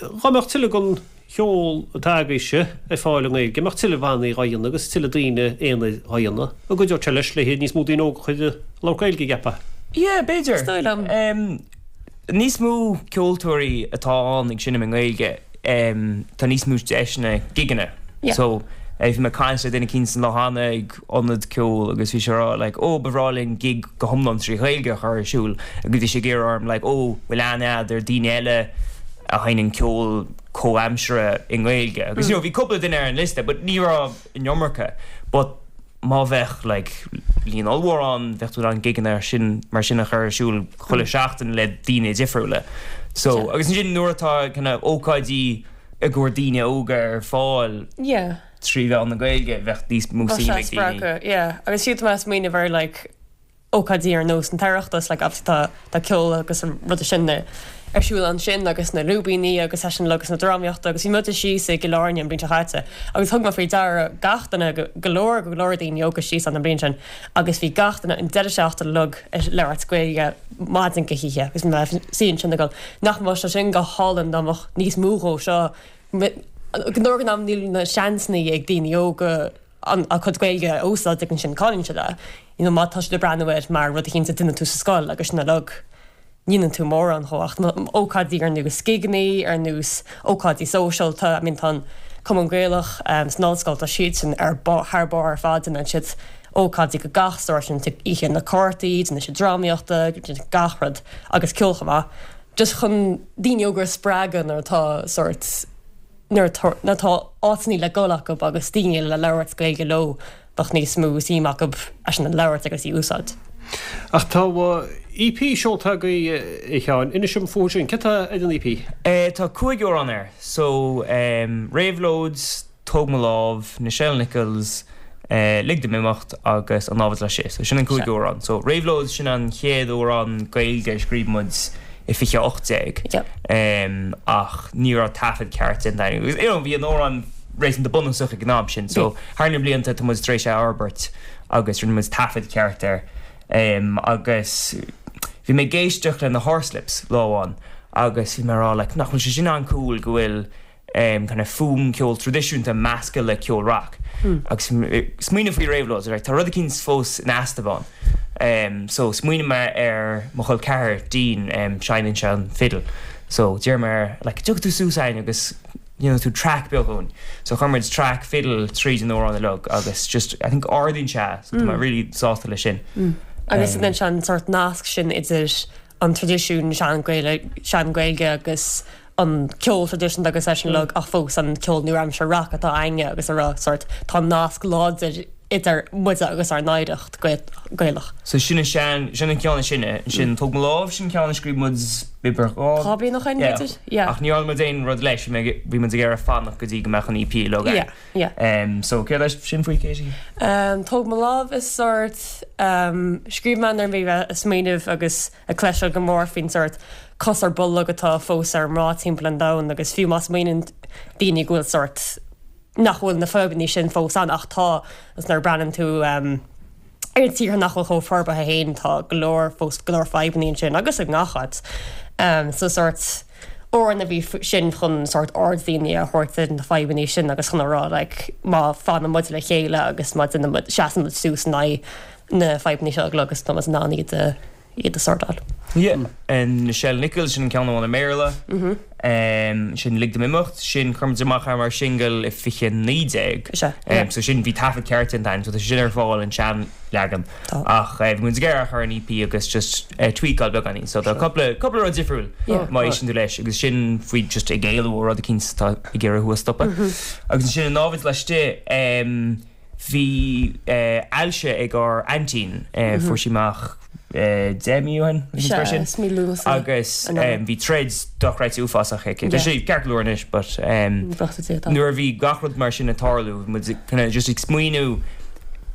S1: Dhá mbeadh tuilleadh den cheol atá agaibhse ar fáil i nGaeilge, mbeadh tuilleadh bannaí dhá dhéanamh agus tuilleadh daoine aonair dhá dhéanamh, an gcuideodh sé leis le níos mó daoine óga a chur ag labhairt Gaeilge, an gceapfá?
S5: Yeah, b'fhéidir.
S6: Is dóigh liom.
S5: Níos mó ceoltóirí atá ann ag seinm i nGaeilge, tá níos mó deiseanna gigeanna. So, bhí mé ag caint le duine eicínt an lá cheana ag ionad ceoil agus bhí sé ag rá like oh ba bhreá linn gig go hiomlán trí Ghaeilge a chur ar siúl agus bhí sé ag iarraidh orm like oh bhfuil aithne a'd ar daoine eile a sheinneann ceol comhaimseartha i nGaeilge agus you know bhí cúpla duine ar an liosta but ní raibh an iomarca but má bheadh like líon ollmhór ann bheadh tú in ann gigeanna sin mar sin a chur ar siúl chuile sheachtain le daoine difriúla. So agus ansin nuair atá kind of ócáidí i gcomhair daoine óga ar fáil
S6: Yeah.
S5: trí mheán na Gaeilge bheadh níos mó
S6: Bheadh
S5: suim
S6: sé
S5: ag daoine.
S6: spreagtha, yeah. Agus fiú tá mé ag smaoineamh ar like ócáidí ar nós an tOireachtas like obviously tá tá ceol agus an rud sin ar siúl ansin agus na lúibíní agus é sin agus na drámaíochta agus bhí muid síos i gCill Airne an bhliain seo caite agus thug mé faoi deara gach duine go leor go leor daoine óga síos an bhliain sin agus bhí gach duine an deireadh seachtaine uilig ag labhairt Gaeilge maidin go hoíche agus mé sí sin go nach mbeadh sé sin go hálainn dá mbeadh níos mó dhó seo go leor den am níl na seansanna ag daoine óga an a cuid Gaeilge a úsáid ag sin cáilíonn siad é. You know, má tá siad ag breathnú air mar rud eicínt a dhéanann tú sa scoil agus sin uilig ní dhéanann tú mórán dhó ach ócáidí ar nós gigeanna ar nós ócáidí sóisialta, I mean tá an Cumann Gaelach um, san ollscoil tá siad sin ar thar barr ar fad déanann siad ócáidí go gach sórt sin oíche na cártaí, déanann siad drámaíochta, gach rud agus ceol chomh maith. Just chun daoine óga a spreagadh nuair atá sórt nuair atá áiteanna le dul acu agus daoine le labhairt Gaeilge leo bheadh níos mó suim acu é sin a labhairt agus í úsáid.
S1: Ach tá EP seolta agaibh a Sheáin, inis dom fúthu sin, cad tá ar an EP?
S5: Tá cúig amhrán air, so Réabhlóid, Tóg Mo Lámh, Nichelle Nichols, Lig Dom Imeacht agus An Námhaid Laistigh. So sin an cúig amhrán. So Réabhlóid sin an chéad amhrán Gaeilge a scríobh muid i fiche ocht déag. Ach ní raibh taifead ceart déanta againn. Agus you know bhí an amhrán réasúnta bunúsach ag an am sin. So thar na blianta tá muid tar éis é a fhorbairt agus rinne muid taifead ceart air. Agus bhí mé ag éisteacht le na Horslips lá amháin agus bhí mé ag rá like nach bhfuil sé sin an-cool go bhfuil kind of fuaim ceol traidisiúnta measctha le ceol rac. Agus smaoineamh faoi Réabhlóid, like tá rud eicínt fós in easnamh ann. So smaoinigh mé ar mo chol ceathar Dean, seinneann sé an fiddle. So d'iarr mé air like dtiocfaidh tú suas againn agus dhéanfaidh tú track beag dhúinn. So chuir muid track fiddle tríd an amhrán uilig agus just I think ardaíonn sé so tá mé really sásta leis sin.
S6: Agus déanann sé an sórt nasc sin idir an traidisiún sean-Ghaeilge agus an ceol traidisiúnta agus é sin uilig ach fós an ceol nua-aimseartha rac atá againne agus a rá sórt tá nasc láidir idir muide agus ár n-oidhreacht Gaelach.
S5: So sin an sean, sin an ceann is sine, sin Tóg Mo Lámh, sin ceann a scríobh muid b'fhéidir dhá.
S6: Dhá bliain ó shin, b'fhéidir? Yeah.
S5: Ach ní dhearna muid aon rud leis, bhí muid ag iarraidh fanacht go dtí go mbeadh an EP uilig againn.
S6: Yeah, yeah.
S5: Um, so céard é sin faoi, Katie?
S6: Um, Tóg Mo Lámh is sórt, um, scríobh mé nuair a bhí mé ag smaoineamh agus ag cloisteáil go mór faoin sórt cos ar bolg atá fós ar mná timpeall an domhain agus fiú má smaoiníonn daoine go bhfuil sórt nach bhfuil na fadhbanna sin fós ann ach tá agus nuair a breathnaíonn tú ar tíortha nach bhfuil chomh forbartha féin tá go leor fós go leor fadhbanna ansin agus i ngach áit. So sórt amhrán a bhí sin chun sórt aird daoine a thabhairt ar na fadhbanna sin agus chun a rá like má fanann muid le chéile agus má déanann muid seasann muid suas in aghaidh na fadhbanna seo agus tá muid in ann iad a iad a shortáil.
S5: Yeah. Nichelle Nichols, sin an ceann amháin i mBéarla. Sin Lig Dom Imeacht, sin chuir muid amach é mar singil i fiche naoi déag.
S6: Is ea, yeah.
S5: So sin, bhí taifead ceart déanta againn, so tá sé sin ar fáil an sean-leagan.
S6: Tá.
S5: Ach bhí muid ag iarraidh a chur ar an EP agus just tweakáil beagáinín. So tá cúpla, cúpla rud difriúil má éisteann tú leis agus sin faoi just ag éalú ó rud eicínt atá ag iarraidh thú a stopadh. Agus ansin an námhaid laistigh, Bhí ailse ag ár aintín, fuair sí amach deich mí ó shin, nó mar sin, agus bhí troid dochreidte uafásach aici. Tá sí ceart go leor anois but nuair a bhí gach rud mar sin ag tarlú, bhí muid kind of just ag smaoineamh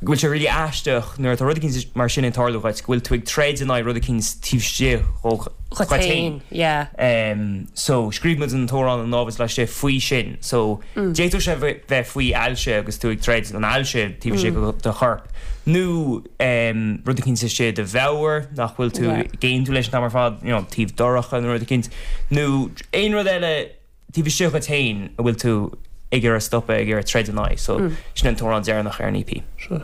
S5: go bhfuil sé really aisteach nuair atá rud eicínt mar sin ag tarlú dhuit, go bhfuil tú ag troid in aghaidh rud eicínt taobh istigh dhuit féin. So scríobh muid an t-amhrán An Námhaid Laistigh faoi sin. So d'fhéadfadh sé bheith faoi ailse agus tú ag troid an ailse taobh istigh de do chorp nó rud eicínt istigh i do mheabhair nach bhfuil tú ag aontú leis an t-am ar fad, you know, taobh dorcha nó rud eicínt nó aon rud eile taobh istigh dhuit féin a bhfuil tú ag iarraidh stopadh, ag iarraidh troid in aghaidh. So sin an t-amhrán deireanach ar an EP.
S1: Sea.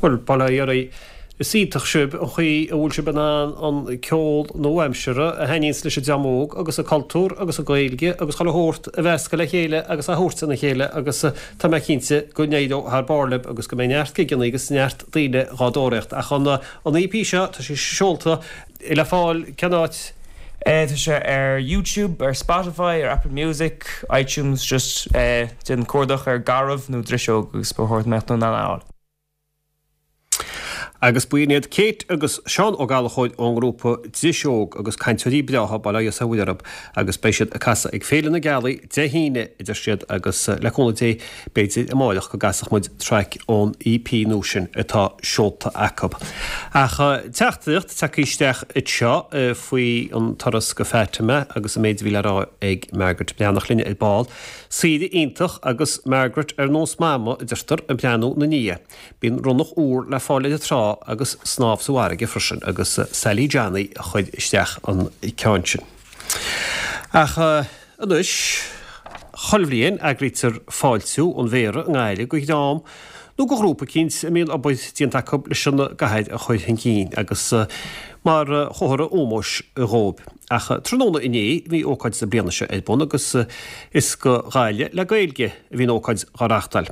S1: Bhuel, bail ó Dhia oraibh. Is iontach sibh an chaoi a bhfuil sibh in ann an ceol nua-aimseartha a thaitníonns leis an dream óg agus an cultúr agus an Ghaeilge agus chuile shórt a mheascadh le chéile agus a thabhairt ina chéile agus tá mé cinnte go n-éireoidh thar barr libh agus go mbeidh neart gigeanna agus neart daoine dhá dtóraíocht. Ach an an EP seo, tá sé seolta, le fáil cén áit?
S5: Tá sé ar YouTube, ar Spotify, ar Apple Music, iTunes, just déan cuardach ar Garbh nó Driseog agus ba chóir go mbeadh tú in ann é a fháil.
S1: Agus b'in iad Kate agus Seán Ó Gallchóir ón ngrúpa Driseog agus cainteoirí breátha bail ó Dhia is ó Mhuire orthu agus beidh siad ag casadh ag Féile na Gealaí Dé hAoine a deir siad agus le cúnamh Dé b'fhéidir amáireach go gcasfadh muid traic ón EP nua sin atá seolta acu. Ach teachtaireacht tagtha isteach anseo faoi an turas go Fatima agus an méid a bhí le rá ag Margaret Breathnach linn ar ball. Saoire iontach agus Margaret ar nós Mama a deirtear ag breathnú ina ndiaidh. Bíonn ronnach úr le fáil ar an trá agus snámh sa bhfarraige freisin agus Sally Johnny a chuir isteach an ceann sin. Ach anois, chuile bhliain eagraítear fáiltiú an Mhéara i nGaillimh do dhream nó do ghrúpa eicínt a mbíonn obair déanta acu leis an gcathair a chur chun cinn agus mar chomhartha ómóis dhóibh. Ach tráthnóna inné bhí ócáid na bliana seo ar bun agus is do Ghaillimh le Gaeilge a bhí an ócáid á reáchtáil.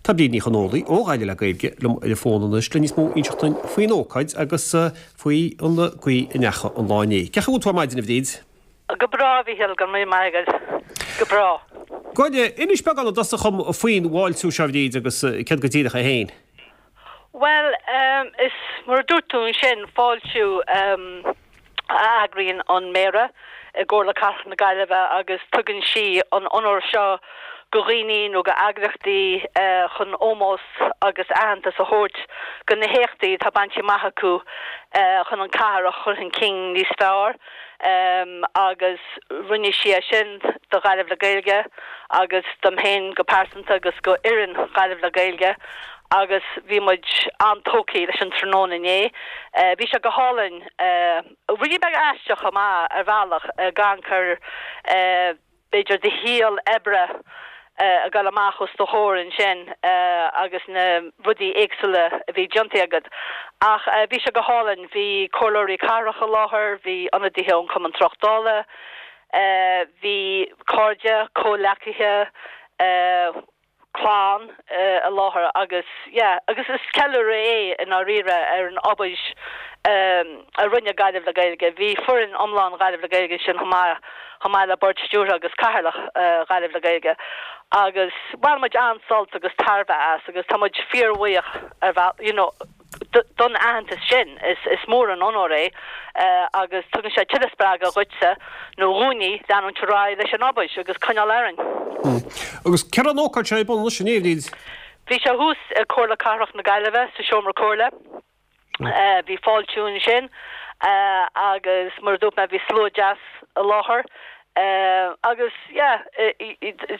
S1: Tá Bríd Ní Chonólaigh ó Ghaillimh le Gaeilge liom ar an bhfón anois le níos mó a inseacht dúinn faoin ócáid agus faoi an gcaoi a ndeachaigh an lá inné. Cén chaoi a bhfuil tú ar maidin, a Bhríd?
S7: Go breá, a Mhíchíl, go raibh míle maith agat. Go breá.
S1: Go Inis beagán i dtosach dhom faoin bhfáiltiú seo, a Bhríd, agus céard go díreach é féin?
S7: Bhuel, is mar a dúirt tú ansin, fáiltiú a eagraíonn an Méara i gComhairle Cathrach na Gaillimhe agus tugann sí an onóir seo go dhaoine nó go eagraíochtaí chun ómós agus aitheantas a thabhairt go na héachtaí atá bainte amach acu chun an cathair a chur chun cinn níos fearr agus rinne sí é sin do Ghaillimh le Gaeilge agus dom féin go pearsanta agus go fhoireann Ghaillimh le Gaeilge agus bhí muid an-tógtha leis an tráthnóna inné. Bhí sé go hálainn rudaí beag aisteach chomh maith ar bhealach gan cur b'fhéidir do shaol oibre a ghabháil amach os do chomhair ansin agus na rudaí éagsúla a bhí déanta agat. Ach bhí sé go hálainn, bhí comhairleoirí cathrach i láthair, bhí ionadaithe ón Chumann Tráchtála, bhí cairde, comhghleacaithe, clann i láthair agus yeah agus is ceiliúradh é i ndáiríre ar an obair a rinne Gaillimh le Gaeilge. Bhí foireann iomlán Ghaillimh le Gaeilge ansin chomh maith chomh maith le bord stiúrtha agus cathaoirleach Ghaillimh le Gaeilge agus bhain muid an-sult agus tairbhe as agus tá muid fíorbhuíoch ar bhealach you know don aitheantas sin. Is is mór an onóir é agus tugann sé tuilleadh spreagadh dhuitse nó dhúinne leanúint ar aghaidh leis an obair agus coinneáil orainn.
S1: Agus cá raibh an ócáid seo ar bun anois inné, a Bhríd?
S7: Bhí sé thuas i Comhairle Cathrach na Gaillimhe sa seomra comhairle. Bhí fáiltiú ansin agus mar a dúirt mé bhí slua deas i láthair agus yeah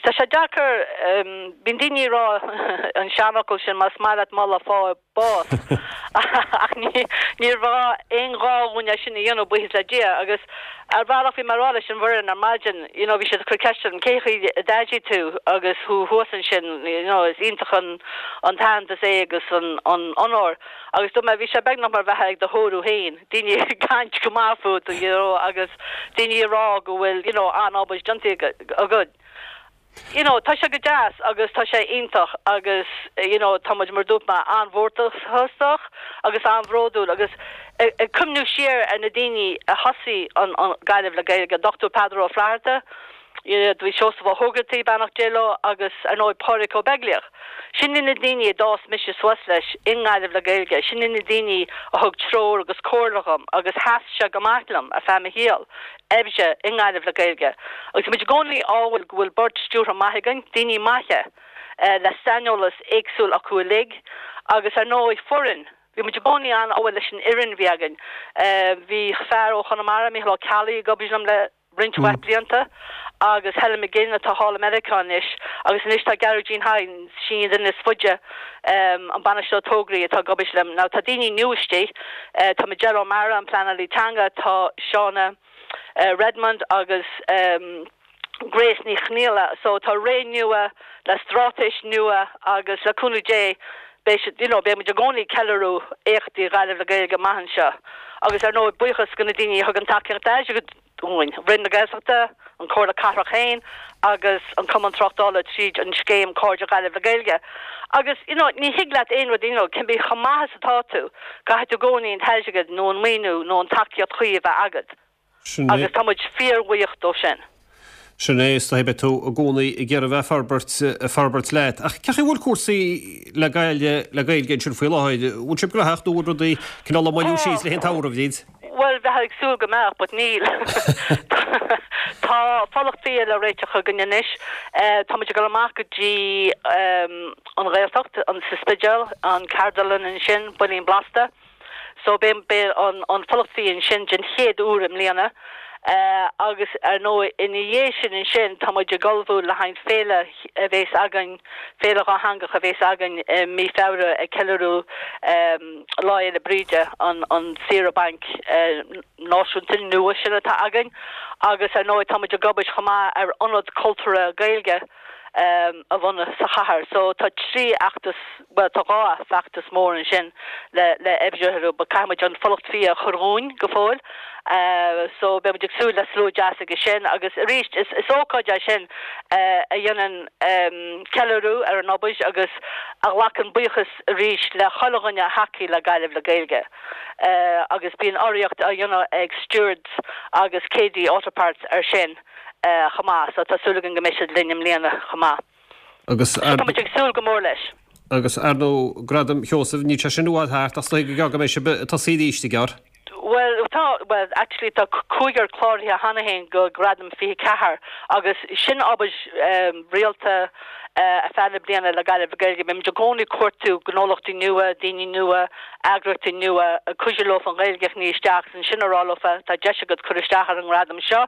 S7: tá sé deacair bíonn daoine ag rá an seanfhocal sin más maith leat moladh faigh bás ach ní ní raibh aon ghá dhúinn é sin a dhéanamh buíochas le Dia agus ar bhealach bhí mé ag rá leis an bhfoireann ar maidin you know bhí siad ag cur ceist orm cén chaoi a d'airigh tú agus thú thuas ansin you know is iontach an an t-aitheantas é agus an an onóir agus dúirt mé bhí sé beagnach mar bheith ag do thórramh féin daoine ag caint go maith fút you know agus daoine ag rá go bhfuil you know an-obair déanta agat. You know tá sé go deas agus tá sé iontach agus you know tá muid mar dúirt mé an-mhórtasach agus an-bhródúil agus ag cuimhniú siar ar na daoine a thosaigh an an Gaillimh le Gaeilge, Dr Peadar Ó Flatharta, bhí Seosamh Ó hÓgartaigh, beannacht Dé leo, agus ar ndóigh Pádraig Ó Beaglaoich. Sin iad na daoine a d'fhás mise suas leis i nGaillimh le Gaeilge, sin iad na daoine a thug treoir agus comhairle dhom agus sheas sé go maith liom ar feadh mo shaol oibre i nGaillimh le Gaeilge. Agus tá muid i gcónaí ádhúil go bhfuil bord stiúrtha maith againn, daoine maithe le saineolas éagsúil acu uilig agus ar ndóigh foireann. Bhí muid i gcónaí an-ádhúil leis an fhoireann a bhí againn. Bhí fear ó Chonamara, Mícheál Ó Ceallaigh, ag obair liom le roinnt mhaith blianta agus Helen McGinn atá thall i Meiriceá anois agus anois tá Gearóidín Hynes, sin an duine is faide, an bainisteoir tograí atá ag obair liom. Now tá daoine nua istigh, tá Majella O'Meara, an pleanálaí teanga, tá Shauna Redmond agus Grace Ní Chonghaile so tá ré nua le straitéis nua agus le cúnamh Dé beidh siad, you know, beidh muid i gcónaí ag ceiliúradh éachtaí Ghaillimh le Gaeilge amach anseo agus ar ndóigh buíochas go na daoine a thug an tacaíocht airgid dúinn, Roinn na Gaeltachta, an Chomhairle Cathrach féin agus an Cumann Tráchtála tríd an scéim Cairde Ghaillimh le Gaeilge. Agus, you know, ní thig leat aon rud, you know, cibé chomh maith is atá tú, caithfidh tú i gcónaí an t-airgead nó an maoiniú nó an tacaíocht chuí a bheith agat.
S1: Sin é.
S7: Agus tá muid fíorbhuíoch dó sin.
S1: Sin é, is dóigh beidh tú i gcónaí ag iarraidh bheith forbairt, forbairt leat. Ach cén chaoi a bhfuil cúrsaí le Gaillimh le Gaeilge ansin faoi láthair? Bhfuil sibh gnóthach nó bhfuil rudaí cineál ag moilliú síos le haghaidh an tsamhraidh, a Bhríd?
S7: Bhuel, bheifeá ag súil go mbeadh, but níl. Tá fulacht fia le réiteach againn anois. Tá muid ag dul amach go dtí an Ghaeltacht, an sa Spidéal, an ceardlann ansin, Builín Blasta. So beidh beidh an an fulacht fia ansin den chéad uair i mbliana. Agus ar ndóigh ina dhiaidh sin ansin tá muid ag ullmhú le haghaidh féile a bhéas againn, féile dhátheangach a bhéas againn i mí Feabhra ag ceiliúradh Lá Fhéile Bríde, an an saoire bainc náisiúnta nua sin atá againn. Agus ar ndóigh tá muid ag obair chomh maith ar ionad cultúrtha Gaeilge a bhunú sa chathair. So tá trí fheachtas, bhuel tá dhá feachtas mór ansin le le oibriú but caithfidh muid an fulacht fia a chur dhúinn go fóill. So beidh muid ag súil le slua deas aige sin agus arís is is ócáid é sin a dhéanann ceiliúradh ar an obair agus a ghlacann buíochas arís le chuile dhuine a thacaigh le Gaillimh le Gaeilge. Agus bíonn urraíocht á dhéanamh ag Stewart's agus KD Auto Parts ar sin. chomh maith so tá súil againn go mbeidh siad linn i mbliana chomh maith.
S1: Agus
S7: So tá muid ag súil go mór leis.
S1: Agus ar ndóigh Gradam Sheosaimh, níl sé sin i bhfad thart ach is dóigh go gearr go mbeidh sibh ag tosaí arís go gearr.
S7: Bhuel tá, bhuel actually tá cúigear cláraithe cheana féin go Gradam fiche ceathair agus sin obair rialta ar feadh na bliana le Gaillimh le Gaeilge. Bímid i gcónaí ag cuartú gnólachtaí nua, daoine nua, eagraíochtaí nua, ag cuidiú leo an Ghaeilge a shní isteach agus ansin a rá leofa tá deis agat cur isteach ar an ngradam seo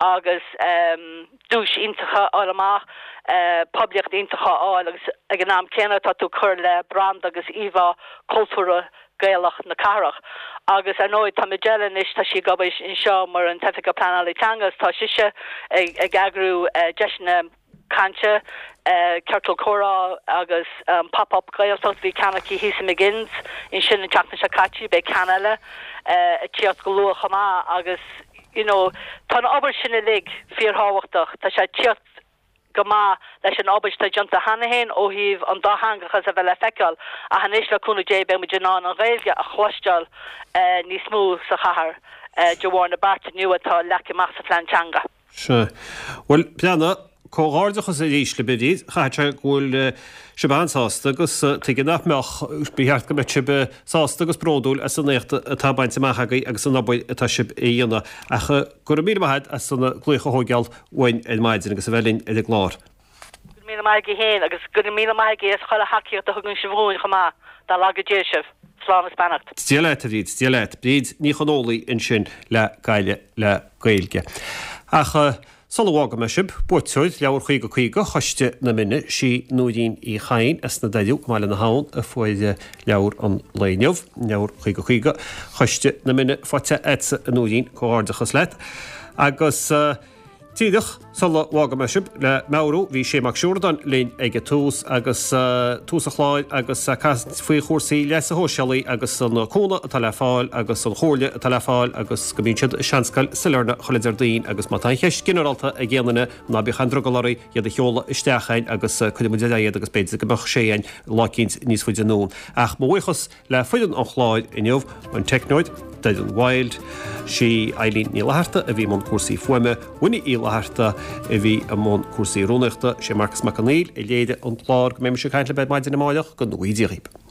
S7: agus duais iontach a fháil amach, poiblíocht iontach a fháil agus ag an am céanna tá tú ag cur le branda agus íomhá cultúrtha Gaelach na cathrach. Agus ar ndóigh tá Majella anois, tá sí ag obair anseo mar an tOifigeach Pleanála Teanga agus tá sise ag eagrú deiseanna cainte, ciorcal comhrá agus Pop Up Gaeltacht. Bhí ceann aici thíos i McGinn's ansin an tseachtain seo caite, beidh ceann eile ag tíocht go luath chomh maith agus you know tá an obair sin uilig fíorthábhachtach. Tá sé ag tíocht go maith leis an obair atá déanta cheana féin ó thaobh an dátheangachas a bheith le feiceáil ach anois le cúnamh Dé beidh muid in ann an Ghaeilge a chloisteáil níos mó sa chathair de bharr na bearta nua atá leagtha amach sa phlean teanga.
S1: Sea. Bhuel, Breandán, comhghairdeachas arís libh, a Bhríd. Chaithfeadh sé go bhfuil sibh an-sásta agus tuige nach mbeadh, ba cheart go mbeadh sibh sásta agus bródúil as an éacht atá bainte amach agaibh agus an obair atá sibh a dhéanamh. Ach go raibh míle maith agat as an glaoch a thógáil uainn ar maidin agus a bheith linn ar an gclár.
S7: Go raibh míle maith agaibh féin agus go raibh míle maith agaibh as chuile thacaíocht a thugann sibh dhúinn chomh maith. Dá laga Dia sibh. Slán is beannacht.
S1: Dia leat, a Bhríd, Dia leat. Bríd Ní Chonfhaola ansin le Gaillimh le Gaeilge. Ach sula bhfágfaidh mé sibh, buaiteoir Leabhar Caoga Caoga Choiste na Mine, sí Nóirín Uí Chadhain as na Doireadh i mBaile na hAbhann a fuair leabhar an lae inniu, Leabhar Caoga Caoga Choiste na Mine faighte agatsa a Nóirín, comhghairdeachas leat. Agus. Díreach sula bhfágfaidh mé sibh, le meabhrú, bhí Sé Mac Siúrdáin linn ag tús agus tús an chláir agus caint faoi chúrsaí leasa shóisialaigh agus an cúnamh atá le fáil agus an chomhairle atá le fáil agus go mbíonn siad i Seanscoil Sailearna chuile Déardaoin agus má tá aon cheist ginearálta ag aon duine ná bíodh aon drogall oraibh iad a sheoladh isteach chugainn agus cuirfidh muid ar aghaidh iad agus b'fhéidir go mbeadh Sé againn lá eicínt níos faide anonn. Ach mo bhuíochas le foireann an chláir inniu, an teicneoir, Doireann Wild, sí Eileen Ní Fhlatharta a bhí i mbun cúrsaí fuaime, Winnie Uí Fhlatharta a bhí i mbun cúrsaí rúnaíochta, sé Marcas Mac Conghail a léirigh an clár. Go mbeidh mise ag caint libh ar maidin amáireach, go ngnóthaí Dia dhaoibh.